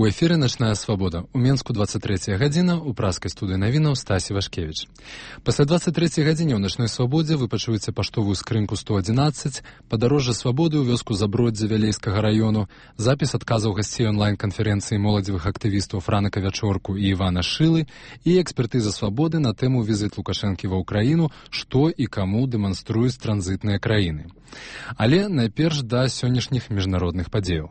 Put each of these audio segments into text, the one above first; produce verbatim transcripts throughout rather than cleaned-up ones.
У эфіры «Начная свабода». У Менску двадцать третья гадзіна, у праскай студыі навінаў Стасі Вашкевіч. Пасля двадцать трэцяй гадзіне ў «Начной свабодзе» вы пачуеце паштовую скрынку сто адзінаццаць, падарожжа свабоды ў вёску Заброддзя Вялейскага раёну, запіс адказаў гасцей онлайн-канферэнцыі моладзевых актывістаў Франака Вячорку і Івана Шылы і экспертыза свабоды на тэму візіт Лукашэнкі ва ўкраіну, што і каму дэманструюць транзітныя краіны. Але найперш да сённяшніх міжнародных падзеяў.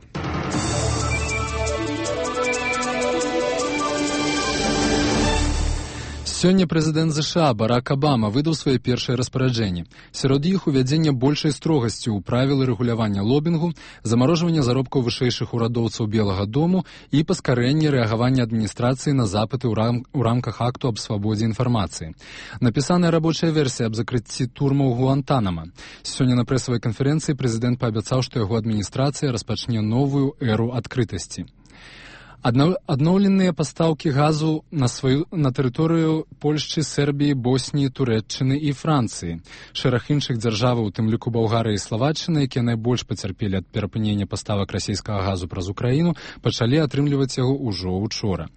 Сёння прэзідэнт ЗША Барак Абама выдаў свае першыя распараджэнні. Сярод іх увядзення большай строгасці ў правілы рэгулявання лобінгу, замарожвання заробкаў вышэйшых урадоўцаў Белага дому і паскарэнне рэагавання адміністрацыі на запыты ў, рам... ў рамках акту аб свабодзе інфармацыі. Напісаная рабочая версія аб закрыцці турмаў Гуантанама. Сёння на прэсавай канферэнцыі прэзідэнт паабяцаў, што яго адміністрацыя распачне новую эру адкрытасці. Адноўленыя пастаўкі газу на сваю на тэрыторыю Польшчы, Сербіі, Босніі, Турэччыны і Францыі. Шэраг іншых дзяржаваў, у тым ліку Балгарыя і Славаччына, якія найбольш пацярпелі ад перапынення паставак расійскага газу праз Украіну, пачалі атрымліваць яго ўжо учора.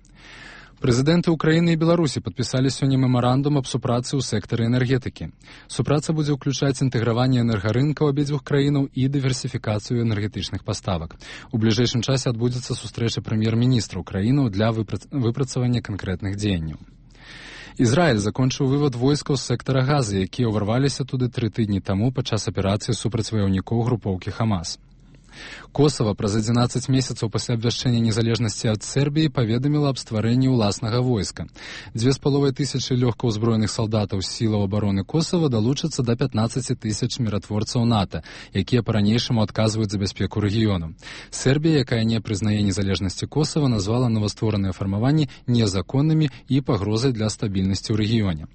Прэзідэнты Украіны і Беларусі падпісалі сёння мемарандум аб супрацы ў сектары энергетыкі. Супраца будзе ўключаць інтэграванне энергарынкаў абедзвюх краінаў і дыверсіфікацыю энергетычных паставак. У бліжэйшым часе адбудзецца сустрэча прэм'ер-міністраў краінаў для выпрацавання канкрэтных дзеянняў. Ізраіль закончыў вывад войскаў з сектара Газы, якія ўварваліся туды тры тыдні таму падчас аперацыі супраць ваяўнікоў групоўкі Хамас. Косава праз адзінаццаць месяцаў пасля абвяшчэння незалежнасці ад Сербіі паведаміла аб стварэнні ўласнага войска. Дзве з паловай тысячы лёгкаўзброеных салдатаў з сілаў абароны Косава далучацца да пятнаццаць тысяч міратворцаў НАТО, якія па-ранейшаму адказваюць за бяспеку рэгіёну. Сербія, якая не прызнае незалежнасці Косава, назвала новаствораныя фармаванні незаконнымі і пагрозай для стабільнасці ў рэгіёне.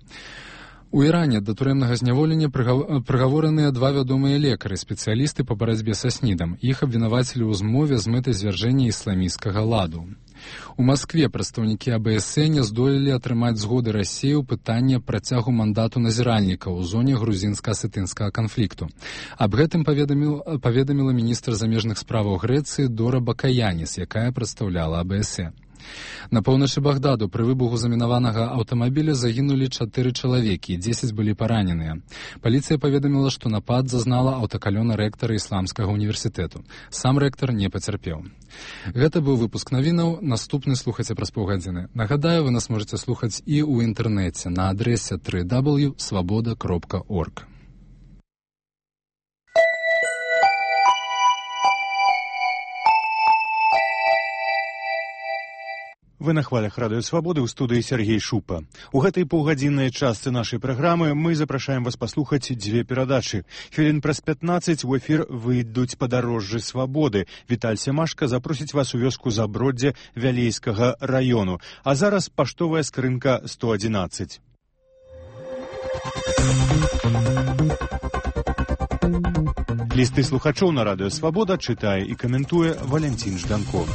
У Іране да турэмнага зняволення прыгавораныя два вядомыя лекары, спецыялісты па барацьбе са снідам. Іх абвінавацілі ў змове з мэтай звяржэння ісламісцкага ладу. У Маскве прадстаўнікі А Б С не здолелі атрымаць згоды Расіі ў пытанні працягу мандату назіральніка ў зоне грузінска-асетынскага канфлікту. Аб гэтым паведаміл, паведаміла міністр замежных справаў Грэцыі Дора Бакаяніс, якая прадстаўляла А Б С. На поўначы Багдаду пры выбуху замінаванага аўтамабіля загінулі чатыры чалавекі, дзесяць былі параненыя. Паліцыя паведаміла, што напад зазнала аўтакалёна рэктара ісламскага універсітэту. Сам рэктар не пацярпеў. Гэта быў выпуск навінаў, наступны слухайце праз паўгадзіны. Нагадаю, вы нас можаце слухаць і ў інтэрнэце на адрэсе дабл ю дабл ю крапка свабода крапка орг. Вы на хвалях радыё Свабоды, ў студыі Сергей Шупа. У гэтай паўгадзіннай частцы нашай праграмы мы запрашаем вас паслухаць дзве перадачы. Хвілін праз пятнаццаць у эфір выйдуць падарожжы свабоды. Віталь Семашка запросіць вас у вёску Заброддзя Вялейскага раёну. А зараз паштовая скрынка сто адзінаццаць. Лісты слухачоў на радыё Свабода чытае і каментуе Валянцін Жданков.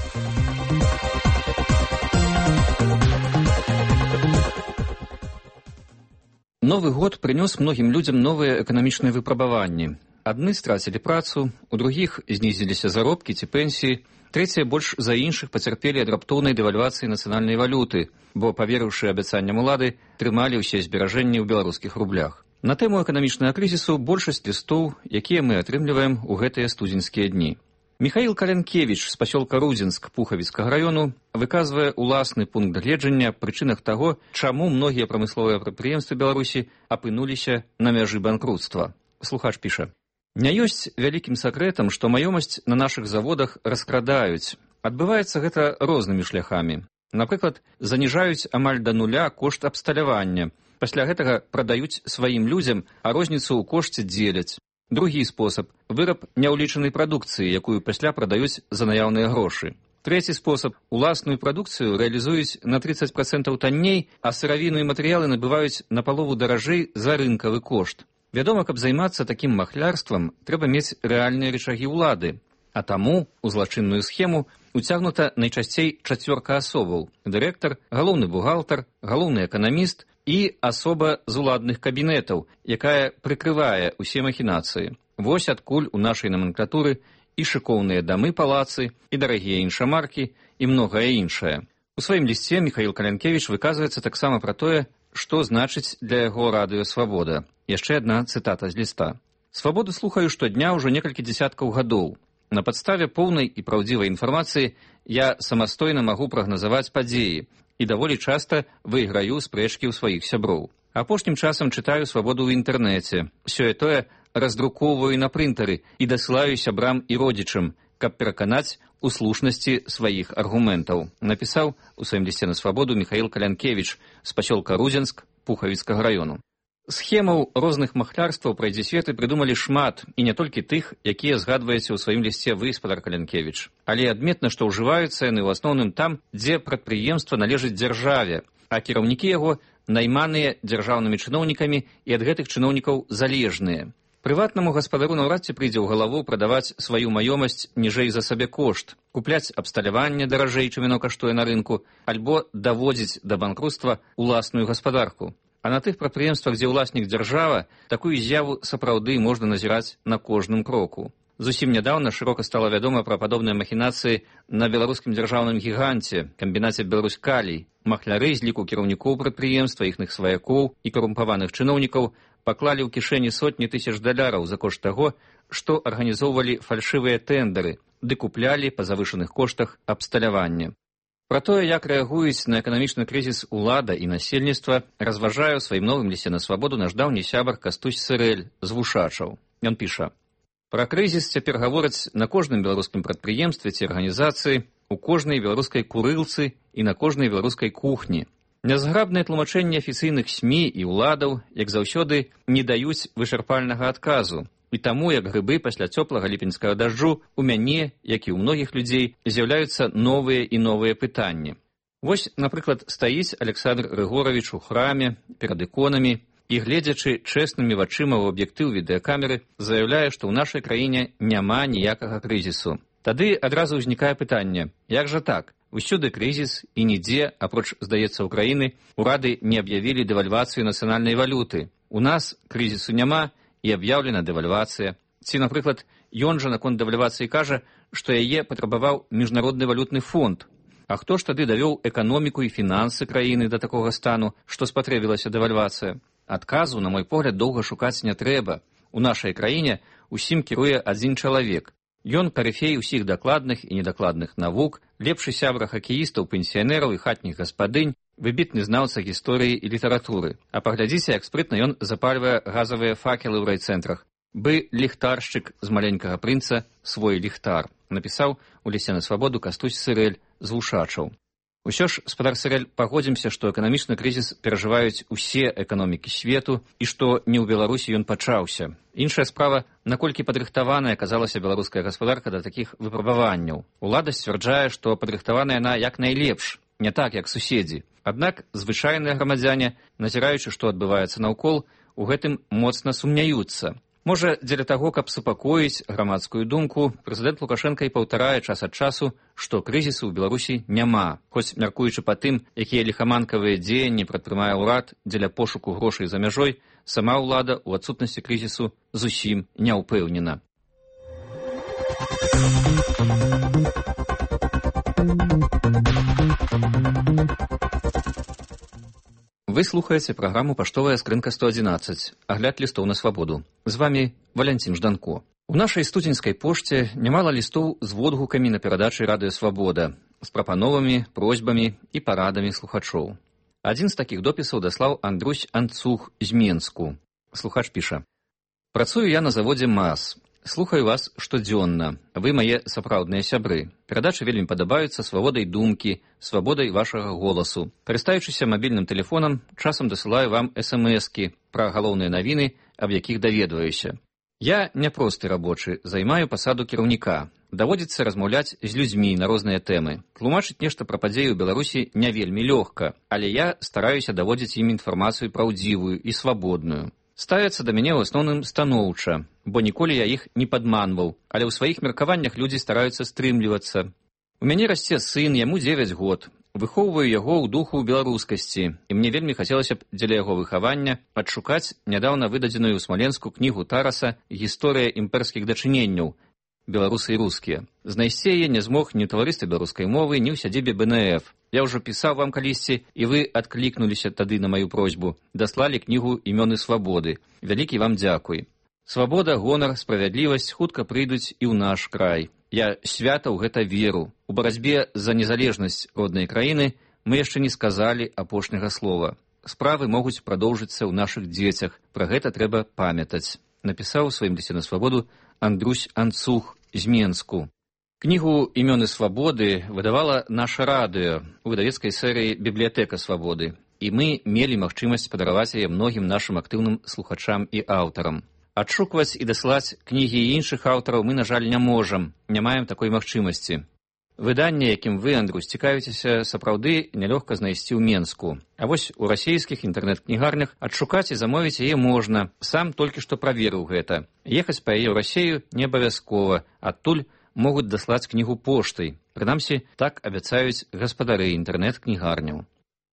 Новы год прынёс многім людзям новыя эканамічныя выпрабаванні. Адны страцілі працу, у другіх знізіліся заробкі ці пенсіі, трэція больш за іншых пацярпелі ад раптоўнай дэвальвацыі нацыянальнай валюты, бо, паверыўшы абяцанням улады, трымалі ўсе зберажэнні ў беларускіх рублях. На тэму эканамічнага крызісу большасць лістоў, якія мы атрымліваем у гэтыя студзеньскія дні. Михаил Калянкевич з пасёлка Рудзінск Пухавіцкага раёну выказвае уласны пункт гледжання прычынах таго, чаму многія прамысловыя прадпрыемствы Беларусі апынуліся на мяжы банкруцтва. Слухач піша: «Не ёсць вялікім сакрэтам, што маёмасць на нашых заводах раскрадаюць. Адбываецца гэта рознымі шляхамі. Напрыклад, заніжаюць амаль да нуля кошт абсталявання. Пасля гэтага прадаюць сваім людзям, а розніцу ў кошце дзеляць. Другі спосаб – выраб няўлічанай прадукцыі, якую пасля прадаюць за наяўныя грошы. Трэці спосаб – уласную прадукцыю рэалізуюць на трыццаць працэнтаў танней, а сыравіну і матэрыялы набываюць на палову даражэй за рынкавы кошт. Вядома, каб займацца такім махлярствам, трэба мець рэальныя рычагі ўлады. А таму у злачынную схему уцягнута найчасцей чацвёрка асобаў – дырэктар, галоўны бухгалтар, галоўны эканаміст і асоба з уладных кабінетаў, якая прыкрывае ўсе махінацыі. Вось адкуль у нашай номенклатуры і шыкоўныя дамы палацы, і дарагія іншамаркі, і многае іншае. У сваім лісце Міхаіл Калянкевіч выказваецца таксама пра тое, што значыць для яго радыё «Свабода». Яшчэ адна цытата з ліста. «Свабоду слухаю штодня ўжо некалькі дзесяткаў гадоў. На падставе поўнай і праўдзівай інфармацыі я самастойна магу прагназаваць падзеі і даволі часта выйграю спрэчкі ў сваіх сяброў. Апошнім часам чытаю «Свабоду» ў інтэрнэце. Сёе-тое раздруковваю на прынтары і дасылаю сябрам і родзічам, каб пераканаць у слушнасці сваіх аргументаў», напісаў у сваім лісце на «Свабоду» Міхаіл Калянкевіч з пасёлка Рудзенск Пухавіцкага раёну. Схемаў розных махлярстваў пра дзесветы прыдумалі шмат, і не толькі тых, якія згадваеце ў сваім лісце вы, спадар Калянкевіч. Але адметна, што ўжываюцца яны ў асноўным там, дзе прадпрыемства належыць дзяржаве, а кіраўнікі яго найманыя дзяржаўнымі чыноўнікамі і ад гэтых чыноўнікаў залежныя. Прыватнаму гаспадару наўрад ці прыйдзе ў галаву прадаваць сваю маёмасць ніжэй за сабекошт, купляць абсталяванне даражэй, чым яно каштуе на рынку, альбо даводзіць да банкруцтва ўласную гаспадарку. А на тых прадпрыемствах, дзе ўласнік дзяржава, такую з'яву сапраўды можна назіраць на кожным кроку. Зусім нядаўна шырока стала вядома пра падобныя махінацыі на беларускім дзяржаўным гіганце, камбінаце «Беларусь-Калій». Махляры з ліку кіраўнікоў прадпрыемства, іхных сваякоў і карумпаваных чыноўнікаў паклалі ў кішэні сотні тысяч даляраў за кошт таго, што арганізоўвалі фальшывыя тэндары, ды куплялі па завышаных коштах абсталяванне. Пра тое, як рэагуюць на эканамічны крызіс улада і насельніцтва, разважае ў сваім новым лісце на «Свабоду» наш даўні сябар Кастусь Сырэль з Вушачаў. Ён піша: «Пра крызіс цяпер гавораць на кожным беларускім прадпрыемстве ці арганізацыі, у кожнай беларускай курылцы і на кожнай беларускай кухні. Нязграбныя тлумачэнні афіцыйных СМІ і ўладаў, як заўсёды, не даюць вычарпальнага адказу. І таму, як грыбы пасля цёплага ліпеньскага дажджу, у мяне, як і ў многіх людзей, з'яўляюцца новыя і новыя пытанні. Вось, напрыклад, стаіць Александр Рыгоравіч у храме перад іконамі і, гледзячы чэснымі вачыма ў аб'ектыў відэакамеры, заяўляе, што ў нашай краіне няма ніякага крызісу. Тады адразу ўзнікае пытанне: як жа так? Усюды крызіс, і нідзе, апроч, здаецца, Украіны, урады не аб'явілі дэвальвацыю нацыянальнай валюты. У нас крызісу няма, і аб'яўлена дэвальвацыя. Ці, напрыклад, ён жа наконт дэвальвацыі кажа, што яе патрабаваў міжнародны валютны фонд. А хто ж тады давёў эканоміку і фінансы краіны да такога стану, што спатрэбілася дэвальвацыя? Адказу, на мой погляд, доўга шукаць не трэба. У нашай краіне усім кіруе адзін чалавек. Ён карыфей усіх дакладных і недакладных навук, лепшы сябра хакеістаў, пенсіянераў і хатніх гаспадынь, выбітны знаўца гісторыі і літаратуры. А паглядзіце, як спрытна ён запальвае газавыя факелы ў райцэнтрах. Бы ліхтаршчык з маленькага прынца свой ліхтар, напісаў у лісце на «Свабоду» Кастусь Сырэль з Вушачаў. Усё ж, спадар Сырэль, пагодзімся, што эканамічны крызіс перажываюць усе эканомікі свету і што не ў Беларусі ён пачаўся. Іншая справа, наколькі падрыхтаваная аказалася беларуская гаспадарка да такіх выпрабаванняў. Улада сцвярджае, што падрыхтаваная яна як найлепш, не так, як суседзі. Аднак звычайныя грамадзяне, назіраючы, што адбываецца наўкол, у гэтым моцна сумняюцца. Можа, дзеля таго, каб супакоіць грамадскую думку, прэзідэнт Лукашенка і паўтарае час ад часу, што крызісу ў Беларусі няма, хоць, мяркуючы па тым, якія ліхаманкавыя дзеянні прадпрымае ўрад дзеля пошуку грошай за мяжой, сама ўлада ў адсутнасці крызісу зусім не ўпэўнена. Вы слухаеце праграму «Паштовая скрынка сто адзінаццаць», агляд лістоў на «Свабоду». З вамі Валянцін Жданко. У нашай студзеньскай пошце нямала лістоў з водгукамі на перадачы радыё «Свабода», з прапановамі, просьбамі і парадамі слухачоў. Адзін з такіх допісаў даслаў Андрусь Анцух з Менску. Слухач піша: «Працую я на заводзе МАЗ. Слухаю вас штодзённа. Вы мае сапраўдныя сябры. Перадачы вельмі падабаюцца свабодай думкі, свабодай вашага голасу. Карыстаючыся мабільным тэлефонам, часам дасылаю вам эс-эм-эскі пра галоўныя навіны, аб якіх даведваюся. Я няпросты рабочы, займаю пасаду кіраўніка. Даводзіцца размаўляць з людзьмі на розныя тэмы. Тлумачыць нешта пра падзеі ў Беларусі не вельмі лёгка, але я стараюся даводзіць ім інфармацыю праўдзівую і свабодную. Ставяцца да мяне ў асноўным станоўча, бо ніколі я іх не падманваў, але ў сваіх меркаваннях людзі стараюцца стрымлівацца. У мяне расце сын, яму дзевяць год. Выхоўваю яго ў духу беларускасці, і мне вельмі хацелася б дзеля яго выхавання адшукаць нядаўна выдадзеную ў Смаленску кнігу Тараса «Гісторыя імперскіх дачыненняў», беларусы і рускія. Знайсці яе не змог ні ў таварыстве беларускай мовы, ні ў сядзібе бэ эн эф. Я ўжо пісаў вам калісьці, і вы адклікнуліся тады на маю просьбу. Даслалі кнігу «Імёны свабоды». Вялікі вам дзякуй. Свабода, гонар, справядлівасць хутка прыйдуць і ў наш край. Я свята ў гэта веру. У барацьбе за незалежнасць роднай краіны мы яшчэ не сказалі апошняга слова. Справы могуць прадоўжыцца ў нашых дзецях. Пра гэта трэба памятаць. Напісаў у сваім лісце на свабоду Андрусь Анцух з Менску. Кнігу «Імёны свабоды» выдавала наша радыё у выдавецкай серыі «Бібліятэка свабоды», і мы мелі магчымасць падараваць яе многім нашым актыўным слухачам і аўтарам. Адшукваць і даслаць кнігі іншых аўтараў мы, на жаль, не можам, не маем такой магчымасці. Выданне, якім вы, Андрусь, цікавіцеся, сапраўды нялёгка знайсці ў Менску. А вось у расійскіх інтэрнэт-кнігарнях адшукаць і замовіць яе можна. Сам толькі што праверыў гэта. Ехаць па яе ў Расею не абавязкова, адтуль могуць даслаць кнігу поштай. Прынамсі, так абяцаюць гаспадары інтэрнэт-кнігарняў.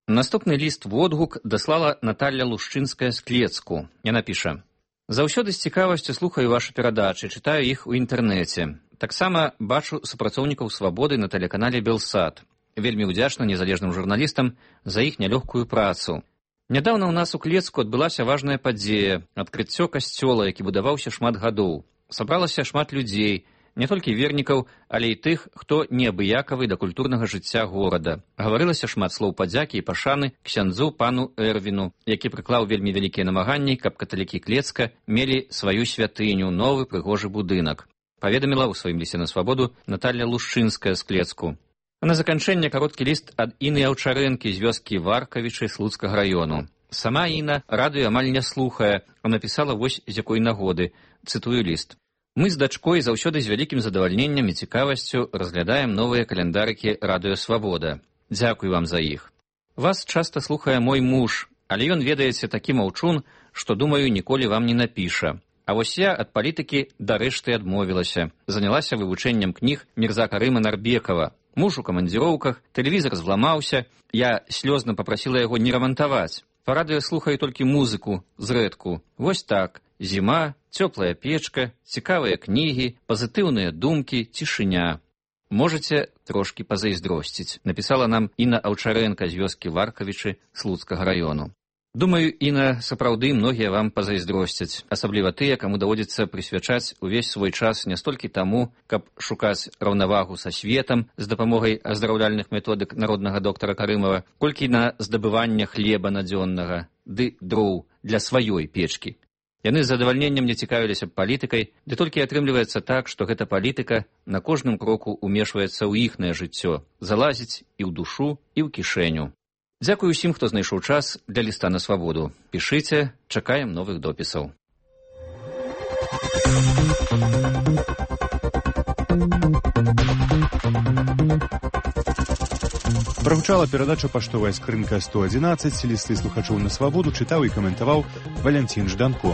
Наступны ліст-водгук даслала Наталля Лушчынская з Клецку. Яна піша: «Заўсёды з цікавасцю слухаю вашы перадачы, чытаю іх у інтэрнэце. Таксама бачу супрацоўнікаў свабоды на тэлеканале «Белсат». Вельмі ўдзячна незалежным журналістам за іх нялёгкую працу. Нядаўна ў нас у Клецку адбылася важная падзея – адкрыццё касцёла, які будаваўся шмат гадоў. Сабралася шмат людзей, не толькі вернікаў, але і тых, хто неабыякавы да культурнага жыцця горада. Гаварылася шмат слоў падзякі і пашаны ксяндзу пану Эрвіну, які прыклаў вельмі вялікія намаганні, каб каталікі Клецка мелі сваю святыню, новы прыгожы будынак. Паведаміла ў сваім лісце на свабоду Наталля Лушчынская з Клецку. А на заканчэнне кароткі ліст ад Іны Аўчарэнкі з вёскі Варкавічы Слуцкага раёну. Сама Іна радыё амаль не слухае, а напісала вось з якой нагоды. Цытую ліст. «Мы з дачкой заўсёды з вялікім задавальненнем і цікавасцю разглядаем новыя каляндарыкі радыё Свабода. Дзякуй вам за іх. Вас часта слухае мой муж, але ён, ведаеце, такі маўчун, што, думаю, ніколі вам не напіша. А вось я ад палітыкі дарэшты адмовілася. Занялася вывучэннем кніг Мірза Карыма Нарбекава. Муж у камандзіроўках, тэлевізар зламаўся. Я слёзна папрасіла яго не рамантаваць. Па радыё слухаю толькі музыку, зрэдку. Вось так. Зіма, цёплая печка, цікавыя кнігі, пазітыўныя думкі, цішыня. Можаце трошкі пазайздросціць», напісала нам Іна Аўчарэнка з вёскі Варкавічы Слуцкага раёну. Думаю, Іна, сапраўды многія вам пазайздросцяць, асабліва тыя, каму даводзіцца прысвячаць увесь свой час не столькі таму, каб шукаць раўнавагу са светам з дапамогай аздараўляльных методык народнага доктара Карымава, колькі на здабывання хлеба надзённага, ды дроў для сваёй печкі. Яны з задавальненнем не цікавіліся палітыкай, ды толькі атрымліваецца так, што гэта палітыка на кожным кроку умешваецца ў іхнае жыццё, залазіць і ў душу, і ў кішэню. Дзякую ўсім, хто знайшоў час для ліста на свабоду. Пішыце, чакаем новых допісаў. Прагучала перадача «Паштовая скрынка сто адзінаццаць», лісты слухачоў на свабоду чытаў і каментаваў Валянцін Жданко.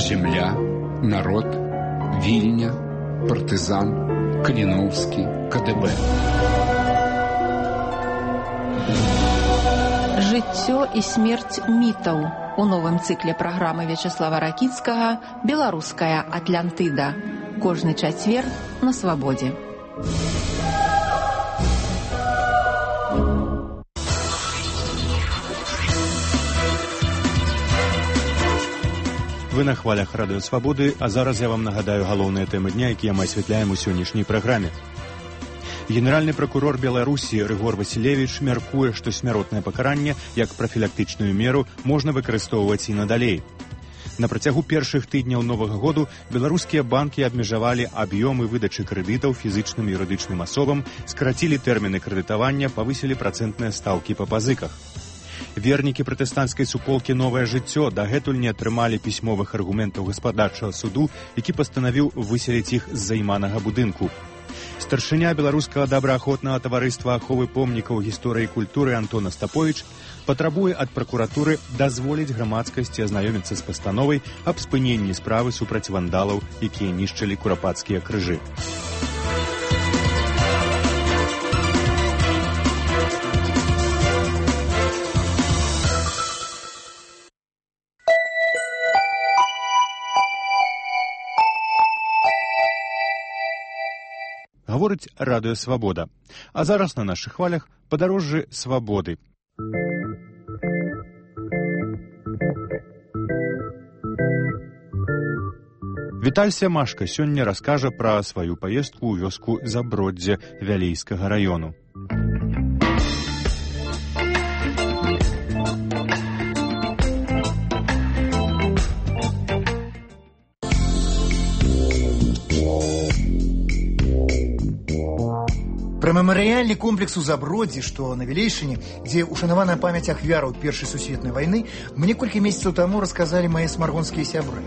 Земля, народ, Вільня, партызан, Каліноўскі, ка дэ бэ. Жыццё і смерць мітаў у новым цыкле праграмы Вячеслава Ракіцкага «Беларуская Атлантыда». Кожны чацвер на свабодзе. Вы на хвалях радыё Свабоды, а зараз я вам нагадаю галоўныя тэмы дня, якія мы асвятляем у сённяшняй праграме. Генеральны пракурор Беларусі Рыгор Васілевіч мяркуе, што смяротнае пакаранне як прафілактычную меру можна выкарыстоўваць і надалей. На працягу першых тыдняў новага году беларускія банкі абмежавалі аб'ёмы выдачы крэдытаў фізычным і юрыдычным асобам, скарацілі тэрміны крэдытавання, павысілі працэнтныя стаўкі па пазыках. Вернікі пратэстанцкай суполкі «Новае жыццё» дагэтуль не атрымалі пісьмовых аргументаў гаспадарчага суду, які пастанавіў выселіць іх з займанага будынку. Старшыня беларускага добраахвотнага таварыства аховы помнікаў гісторыі і культуры Антон Астаповіч патрабуе ад пракуратуры дазволіць грамадскасці азнаёміцца з пастановай аб спыненні справы супраць вандалаў, якія нішчылі курапацкія крыжы. Гаворыць радыё «Свабода». А зараз на нашых хвалях падарожжы свабоды. Віталь Сямашка сёння раскажа пра сваю паездку ў вёску Заброддзе Вялейскага раёну. Пра мемарыяльны комплекс у Заброддзі, што на Вілейшыне, дзе ушанаваная памяць ахвяраў Першай сусветнай вайны, мне колькі месяцаў таму расказалі мае смаргонскія сябры.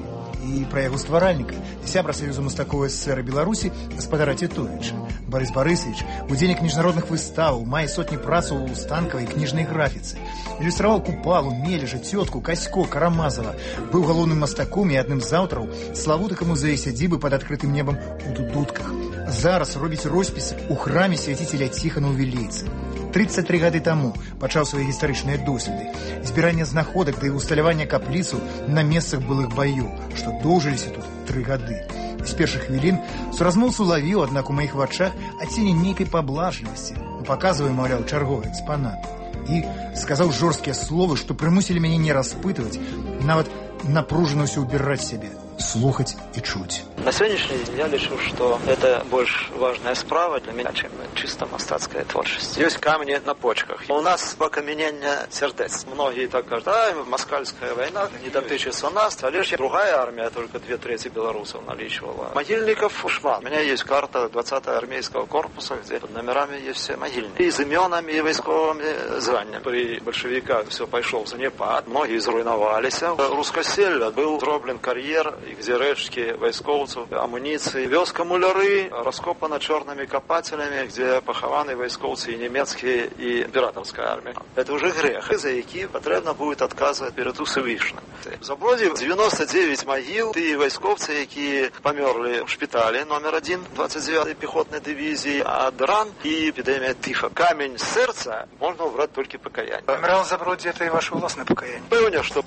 І пра яго стваральніка, сябра Саюзу мастакоў СССР Беларусі, гаспадара Тітовіча. Барыс Барысавіч, удзельнік міжнародных выставаў, мае сотні працаў у станкавай кніжнай графіцы. Ілюстраваў Купалу, Мележа, Цётку, Касько, Карамазава. Быў галоўным мастаком і адным з аўтараў славутага музея сядзібы пад адкрытым небам у Дудутках. Зараз робіць роспісы ў храме свяціцеля Ціхана ў Вілейцы. трыццаць тры гады таму пачаў свае гістарычныя доследы. Збірання знаходак да і усталявання капліцу на месцах былых баёў, што доўжыліся тут тры гады. З першых хвілін суразмоўцу лавіў, аднак у маіх вачах адцені нейкай паблажлівасці. Паказваю, маўляў, чарговы экспанат. І сказаў жорсткія словы, што прымусілі мяне не распытваць, нават напружана ўсё ўбіраць сябе, слухаць і чуць. На сегодняшний день я лічу, что это больше важная справа для меня, чем чисто мастацкая творчесть. Есть камни на почках. У нас покаменение сердец. Многие так говорят, а, москальская война не дотычется нас, а лишь другая армия, только две трети белорусов наличивала. Могильников шмат. У меня есть карта двадцатого армейского корпуса, где под номерами есть все могильники. И с именами, и войсковыми званиями. При большевиках все пошел в занепад. Многие зруйновались. Рускосель был дроблен карьер, где речки войсковцев, амуниции. Вёска Муляры раскопана черными копателями, где похованы войсковцы и немецкие, и императорская армия. Это уже грех, за які потрібно будет отказывать перед Усевишним. В Заброді девяносто девять могил, и войсковцы, які померли в шпитале номер один двадцать девятой пехотной дивизии, а ран и эпидемия тифа. Камень сердца можно убрать только покаяние. Помирал в Заброді, это и ваше властное покаяние. Певне, что...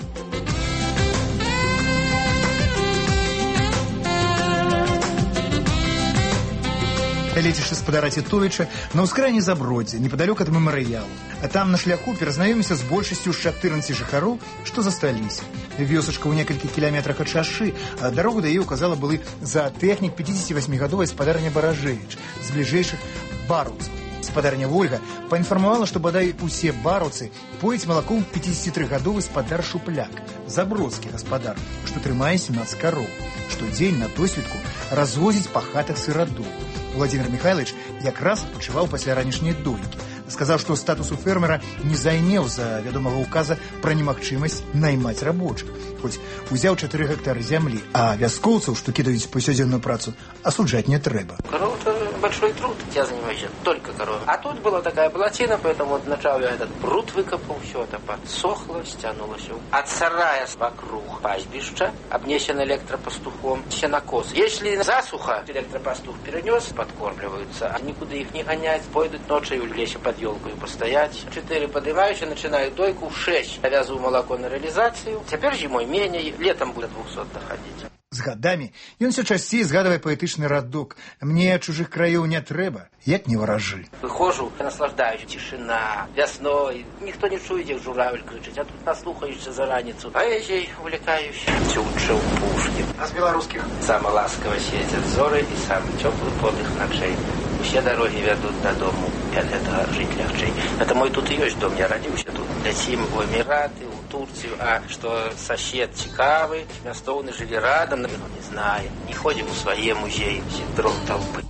Лецішся спадара Тітовіча на ўскрайні Заброддзя, непадалёк ад мемарыялу. А там на шляху перазнаёмімся з большасцю з чатырнаццаці жыхароў, што засталіся. Вёсачка ў некалькіх кіламетрах ад шашы, а дарогу да яе указала былы заатэхнік пяцідзесяцівасьмігадовай спадарня Баражэвіч з бліжэйшых бараўцаў. Спадарня Вольга паінфармавала, што бадай усе бараўцы пояць малаком пяцідзесяцітрыгадовы спадар Шупляк, забродскі гаспадар, што трымае сямнаццаць кароў, штодзень на досведку развозіць па хатах сырадоў. Владимир Михайлович якраз адпачываў пасля ранішняй дойкі. Сказаў, што статусу фермера не зайнеў за вядомага указа пра немагчымасць наймаць рабочых, хоць узяў чатыры гектары зямлі, а вяскоўцаў, што кідаюць паўсядзённую працу, асуджаць не трэба. Корова – это большой труд, я занимаюсь только коровой. А тут была такая плотина, поэтому вот начал я этот пруд выкопал, все это подсохло, стянулось. От сарая вокруг пастбища, обнесен электропастухом, сенокос. Если засуха, электропастух перенес, подкормливаются, а никуда их не гонять, пойдут ночью в лесе под елкой постоять. Четыре поднимающие начинают дойку, в шесть завязываю молоко на реализацию. Теперь зимой менее, летом будет двухсот доходить. З гадамі ён усё часцей згадвае паэтычны радок. Мне чужых краёў не трэба, як не варажы. Выхожу, наслаждаюсь, тишина, весной. Никто не чует, як журавль кричить, а тут наслухаешься за раницу. Поэзией увлекаюсь. Тютчев, Пушкин. А з беларускіх? Самый ласково светят зоры и самый теплый подых ночей. Все дороги ведут додому, и от этого жить легче. Это мой тут и есть дом, я родился тут. Летим в Эмираты, в Турцию, а что сосед цікавый, мястоўны жили рядом, но не знаем, не ходим в свои музеи, синдром толпы.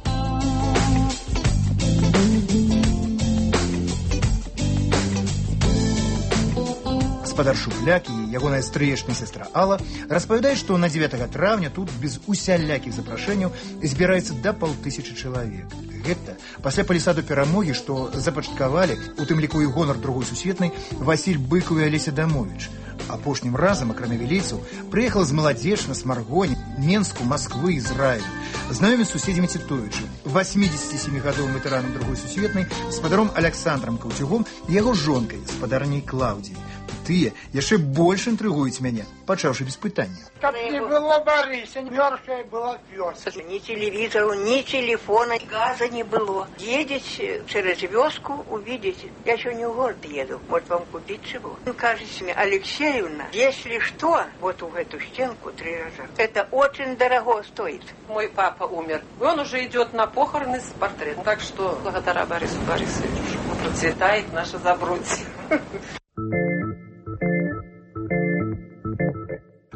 Гаспадар Шупляк і ягоная стрыечная сестра Алла распавядаюць, што на дзевятага траўня тут без усялякіх запрашэнняў збіраецца да паўтысячы чалавек. Гэта пасля палісаду перамогі, што запачаткавалі, у тым ліку і гонар другой сусветнай, Васіль Быкаў і Алеся Дамовіч. Апошнім разам, акрамя вілейцаў, прыехала з Маладзечна, Смаргоні, Менску, Масквы, Ізраілю. Знаёміць з суседзямі Цітовічы, восьмідзесяцісемігадовым ветэранам другой сусветнай, спадаром Аляксандрам Каўцюгом і яго жонкай, спадарняй Клаўдзіяй. Тыя яшчэ больш інтрыгуюць мяне, пачаўшы без пытання. Каб не было Барыся, мёртвая была вёска. Ні телевізору, ні телефона, газа не было. Едешь через вёску, увидите. Я еще не в город еду, может вам купить чего. Он кажется мне, Алексеевна, если что, вот в эту стенку три раза. Это очень дорого стоит. Мой папа умер. Он уже идет на похороны с портретом. Так что благодаря Борису Борисовичу процветает наше Забродье.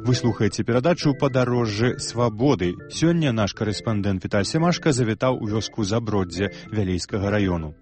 Вы слухаеце перадачу «Падарожжы свабоды». Сёння наш корэспандэнт Віталь Семашка завітаў у вёску Заброддзе Вялейскага раёну.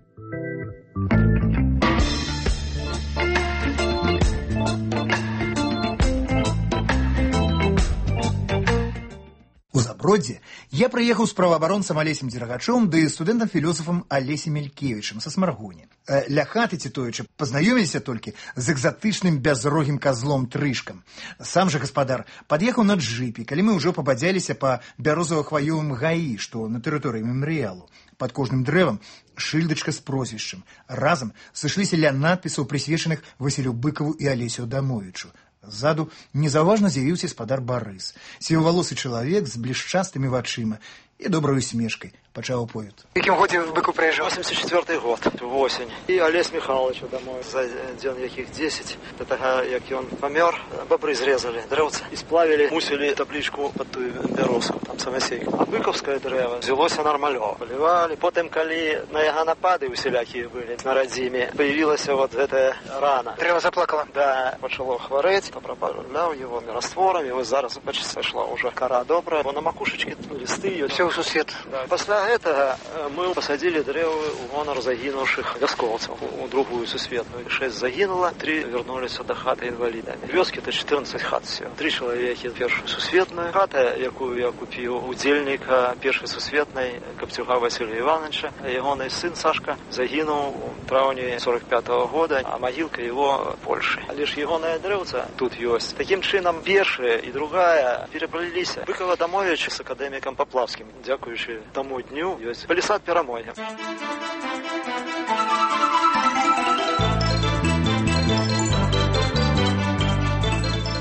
У Заброддзе я прыехаў з праваабаронцам Алесем Дзерагачом ды студэнтам-філосафам Алесем Мелькевічым са Смаргоні. Ля хаты Цітовіча пазнаёміліся толькі з экзатычным бязрогім казлом Трышкам. Сам жа гаспадар пад'ехаў на джыпе, калі мы ўжо пабадзяліся па бярозава-хваёвым гаі, што на тэрыторыі мемарыялу. Пад кожным дрэвам шыльдачка з прозвішчам. Разам сышліся ля надпісаў, прысвечаных Васілю Быкаву і Алесю Дамовічу. Ззаду незаўважна з'явіўся спадар Барыс, сівавалосы чалавек з блішчастымі вачыма і добрай усмешкай. Пачаў аповед. В якім годзе Быкаў прыязджаў? восемьдесят четвёртый год, восень. І Алесь Михайлович домой за дзён якіх дзесяць. Да таго, як ён памёр, бабры зрезалі дрэўца і сплавілі, мусілі таблічку пад тую бярозку, там самасейку. А быкаўскае дрэва взялося нармалё. Палівалі. Потым, калі на яго напады усялякія былі на радзіме, появілася вот гэтая рана. Дрэва заплакала? Да, пачало хварэць, папрапаўляў его растворам, і вось зараз, бачыце, сышла ўжо кара добрая, бо на макушачкі лісты ёсць. Всё ў сусвет. Да. Пасля гэтага мы пасадзілі дрэвы ў гонар загінуўшых вяскоўцаў у другую сусветную. Шэсць загінула, тры вярнуліся да хаты інвалідамі. Вёскі-то чатырнаццаць хат всё. Тры чалавекі першую сусветную. Хата, якую я купіў удзельніка першай сусветнай Капцюга Васіля Івановича, ягоны сын Сашка загінуў у траўні сорок пятого года, а магілка его в Польшы. Але ж ягоная дрэўца тут ёсць. Такім чынам першая і другая пераплыліся. Быкава Дамовіч з акадэмікам Паплавскім, дзякуючы таму дню, ёсць палісад перамогі.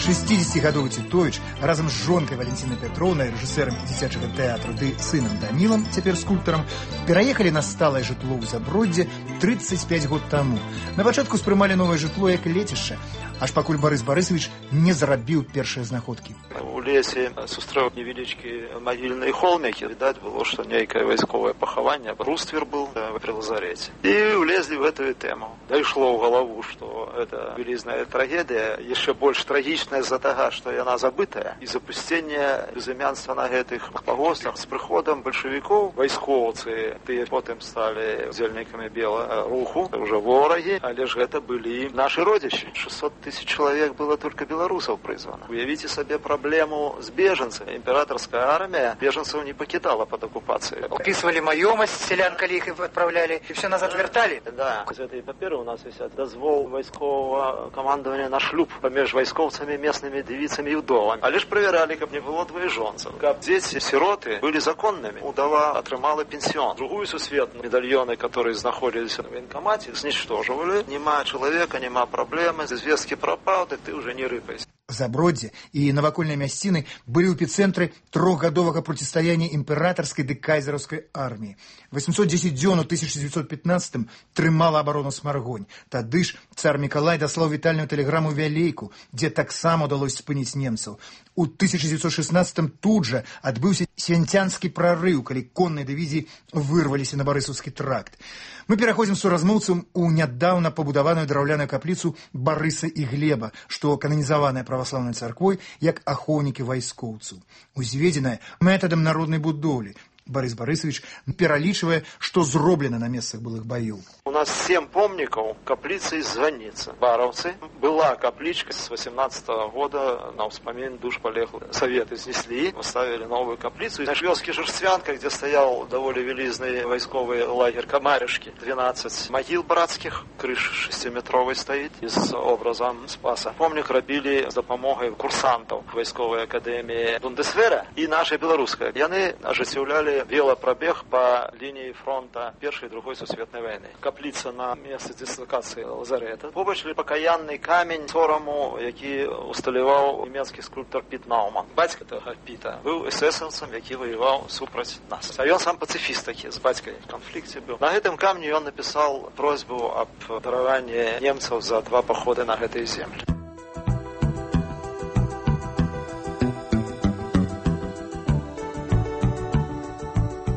шэсцідзесяцігадовы Цітовіч разам з жонкай Валентинай Петроўнай, рэжысэрам дзіцячага тэатру, ды сынам Данілам, цяпер скульптарам, пераехалі на сталае жытло ў Заброддзе трыццаць пяць год таму. На пачатку спрымалі новае жытло як лецішча, аж пакуль Барыс Барысавіч не зарабіў першыя знаходкі. У лесе сустрэў невялічкі магільныя холмікі. Відаць было, што нейкае вайсковае пахаванне, бруствер быў пры лазарэце. І ўлезлі в эту тэму. Дайшло ў галаву, што это вялізная трагедыя, яшчэ больш трагічная з-за таго, што яна забытая. І запусценне безымянства на гэтых пагостах з прыходам бальшавікоў, вайскоўцы, тыя потым сталі удзельнікамі белага руху, ўжо ворагі, але ж гэта былі нашы родзічы. шэсцьсот тысяч чалавек было толькі беларусаў прызвана. Уявіце сабе праблему з бежанцамі. Імператорская армія бежанцаў не пакідала пад акупацыяй. Опісвалі маёмасць сялян, калі іх адпраўлялі, і все назад вярталі? Да. З гэтай паперы у нас вісяць дазвол вайсковага камандавання на шлюб паміж вайскоўцамі, местнымі дзевіцамі і ўдовамі. Але ж правяралі, каб не было двоежонцаў. Каб дзеці сіроты былі законнымі. Удава атрымала пенсіон. Другую сусветную медальёны, которые знаходзіліся на военкомаце, знішчожвалі. Нема чалавека, нема праблемы, звесткі прапаў, так ты ўжо не рыпайся. Заброддзе і навакольныя мясціны былі ў эпіцэнтры трохгадовага процістаяння імператарскай ды кайзераўскай арміі. восемьсот десять дзён у тысяча девятьсот пятнадцатым трымала абарону Смаргонь. Тады ж цар Мікалай даслаў вітальную тэлеграму Вялейку, дзе таксама удалося спыніць немцаў. У тысяча девятьсот шестнадцатым тут жа адбыўся свянцянскі прарыў, калі конныя дывізіі вырваліся на Барысаўскі тракт. Мы пераходзім суразмоўцам у нядаўна пабудаваную драўляную капліцу Барыса і Глеба, што кананізаваная праваслаўнай царквой як ахоўнікі вайскоўцаў. Узведзеная метадам народнай будоўлі. Борис Борисович пералічвае, што зроблена на месцах былых баёў. У нас семь помнікаў, капліцы і званіца. Бараўцы. Была каплічка с восемнадцатого года на ўспамін душ полеглых. Советы снесли, поставили новую каплицу. На вёске Жерствянка, где стоял довольно велизный войсковый лагерь Камаришки, двенадцать могил братских, крыша шестиметровой стоит, и с образом Спаса. Помнік робили с допомогой курсантов войсковой академии Бундесвера и нашей белорусской. Яны оживляли велопробег по линии фронта Первой и Другой Сусветной войны. Каплица на месте дислокации лазарета. Побач покаянный камень сорому, який усталював німецький скульптор Піт Науман. Батько того Піта був есесовцем, який воював супроть нас. А він сам пацифіст такий, з батьком в конфлікті був. На гэтым камні він написав просьбу об даруванні немців за два походи на гэтые землі.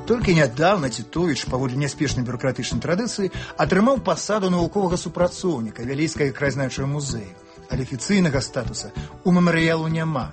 Толькі нядаўна Тітовіч, паводле няспешнай бюракратычнай традыцыі, атрымаў пасаду навуковага супрацоўніка Вялейскага краязнаўчага музея. Але афіцыйнага статуса у мемарыялу няма,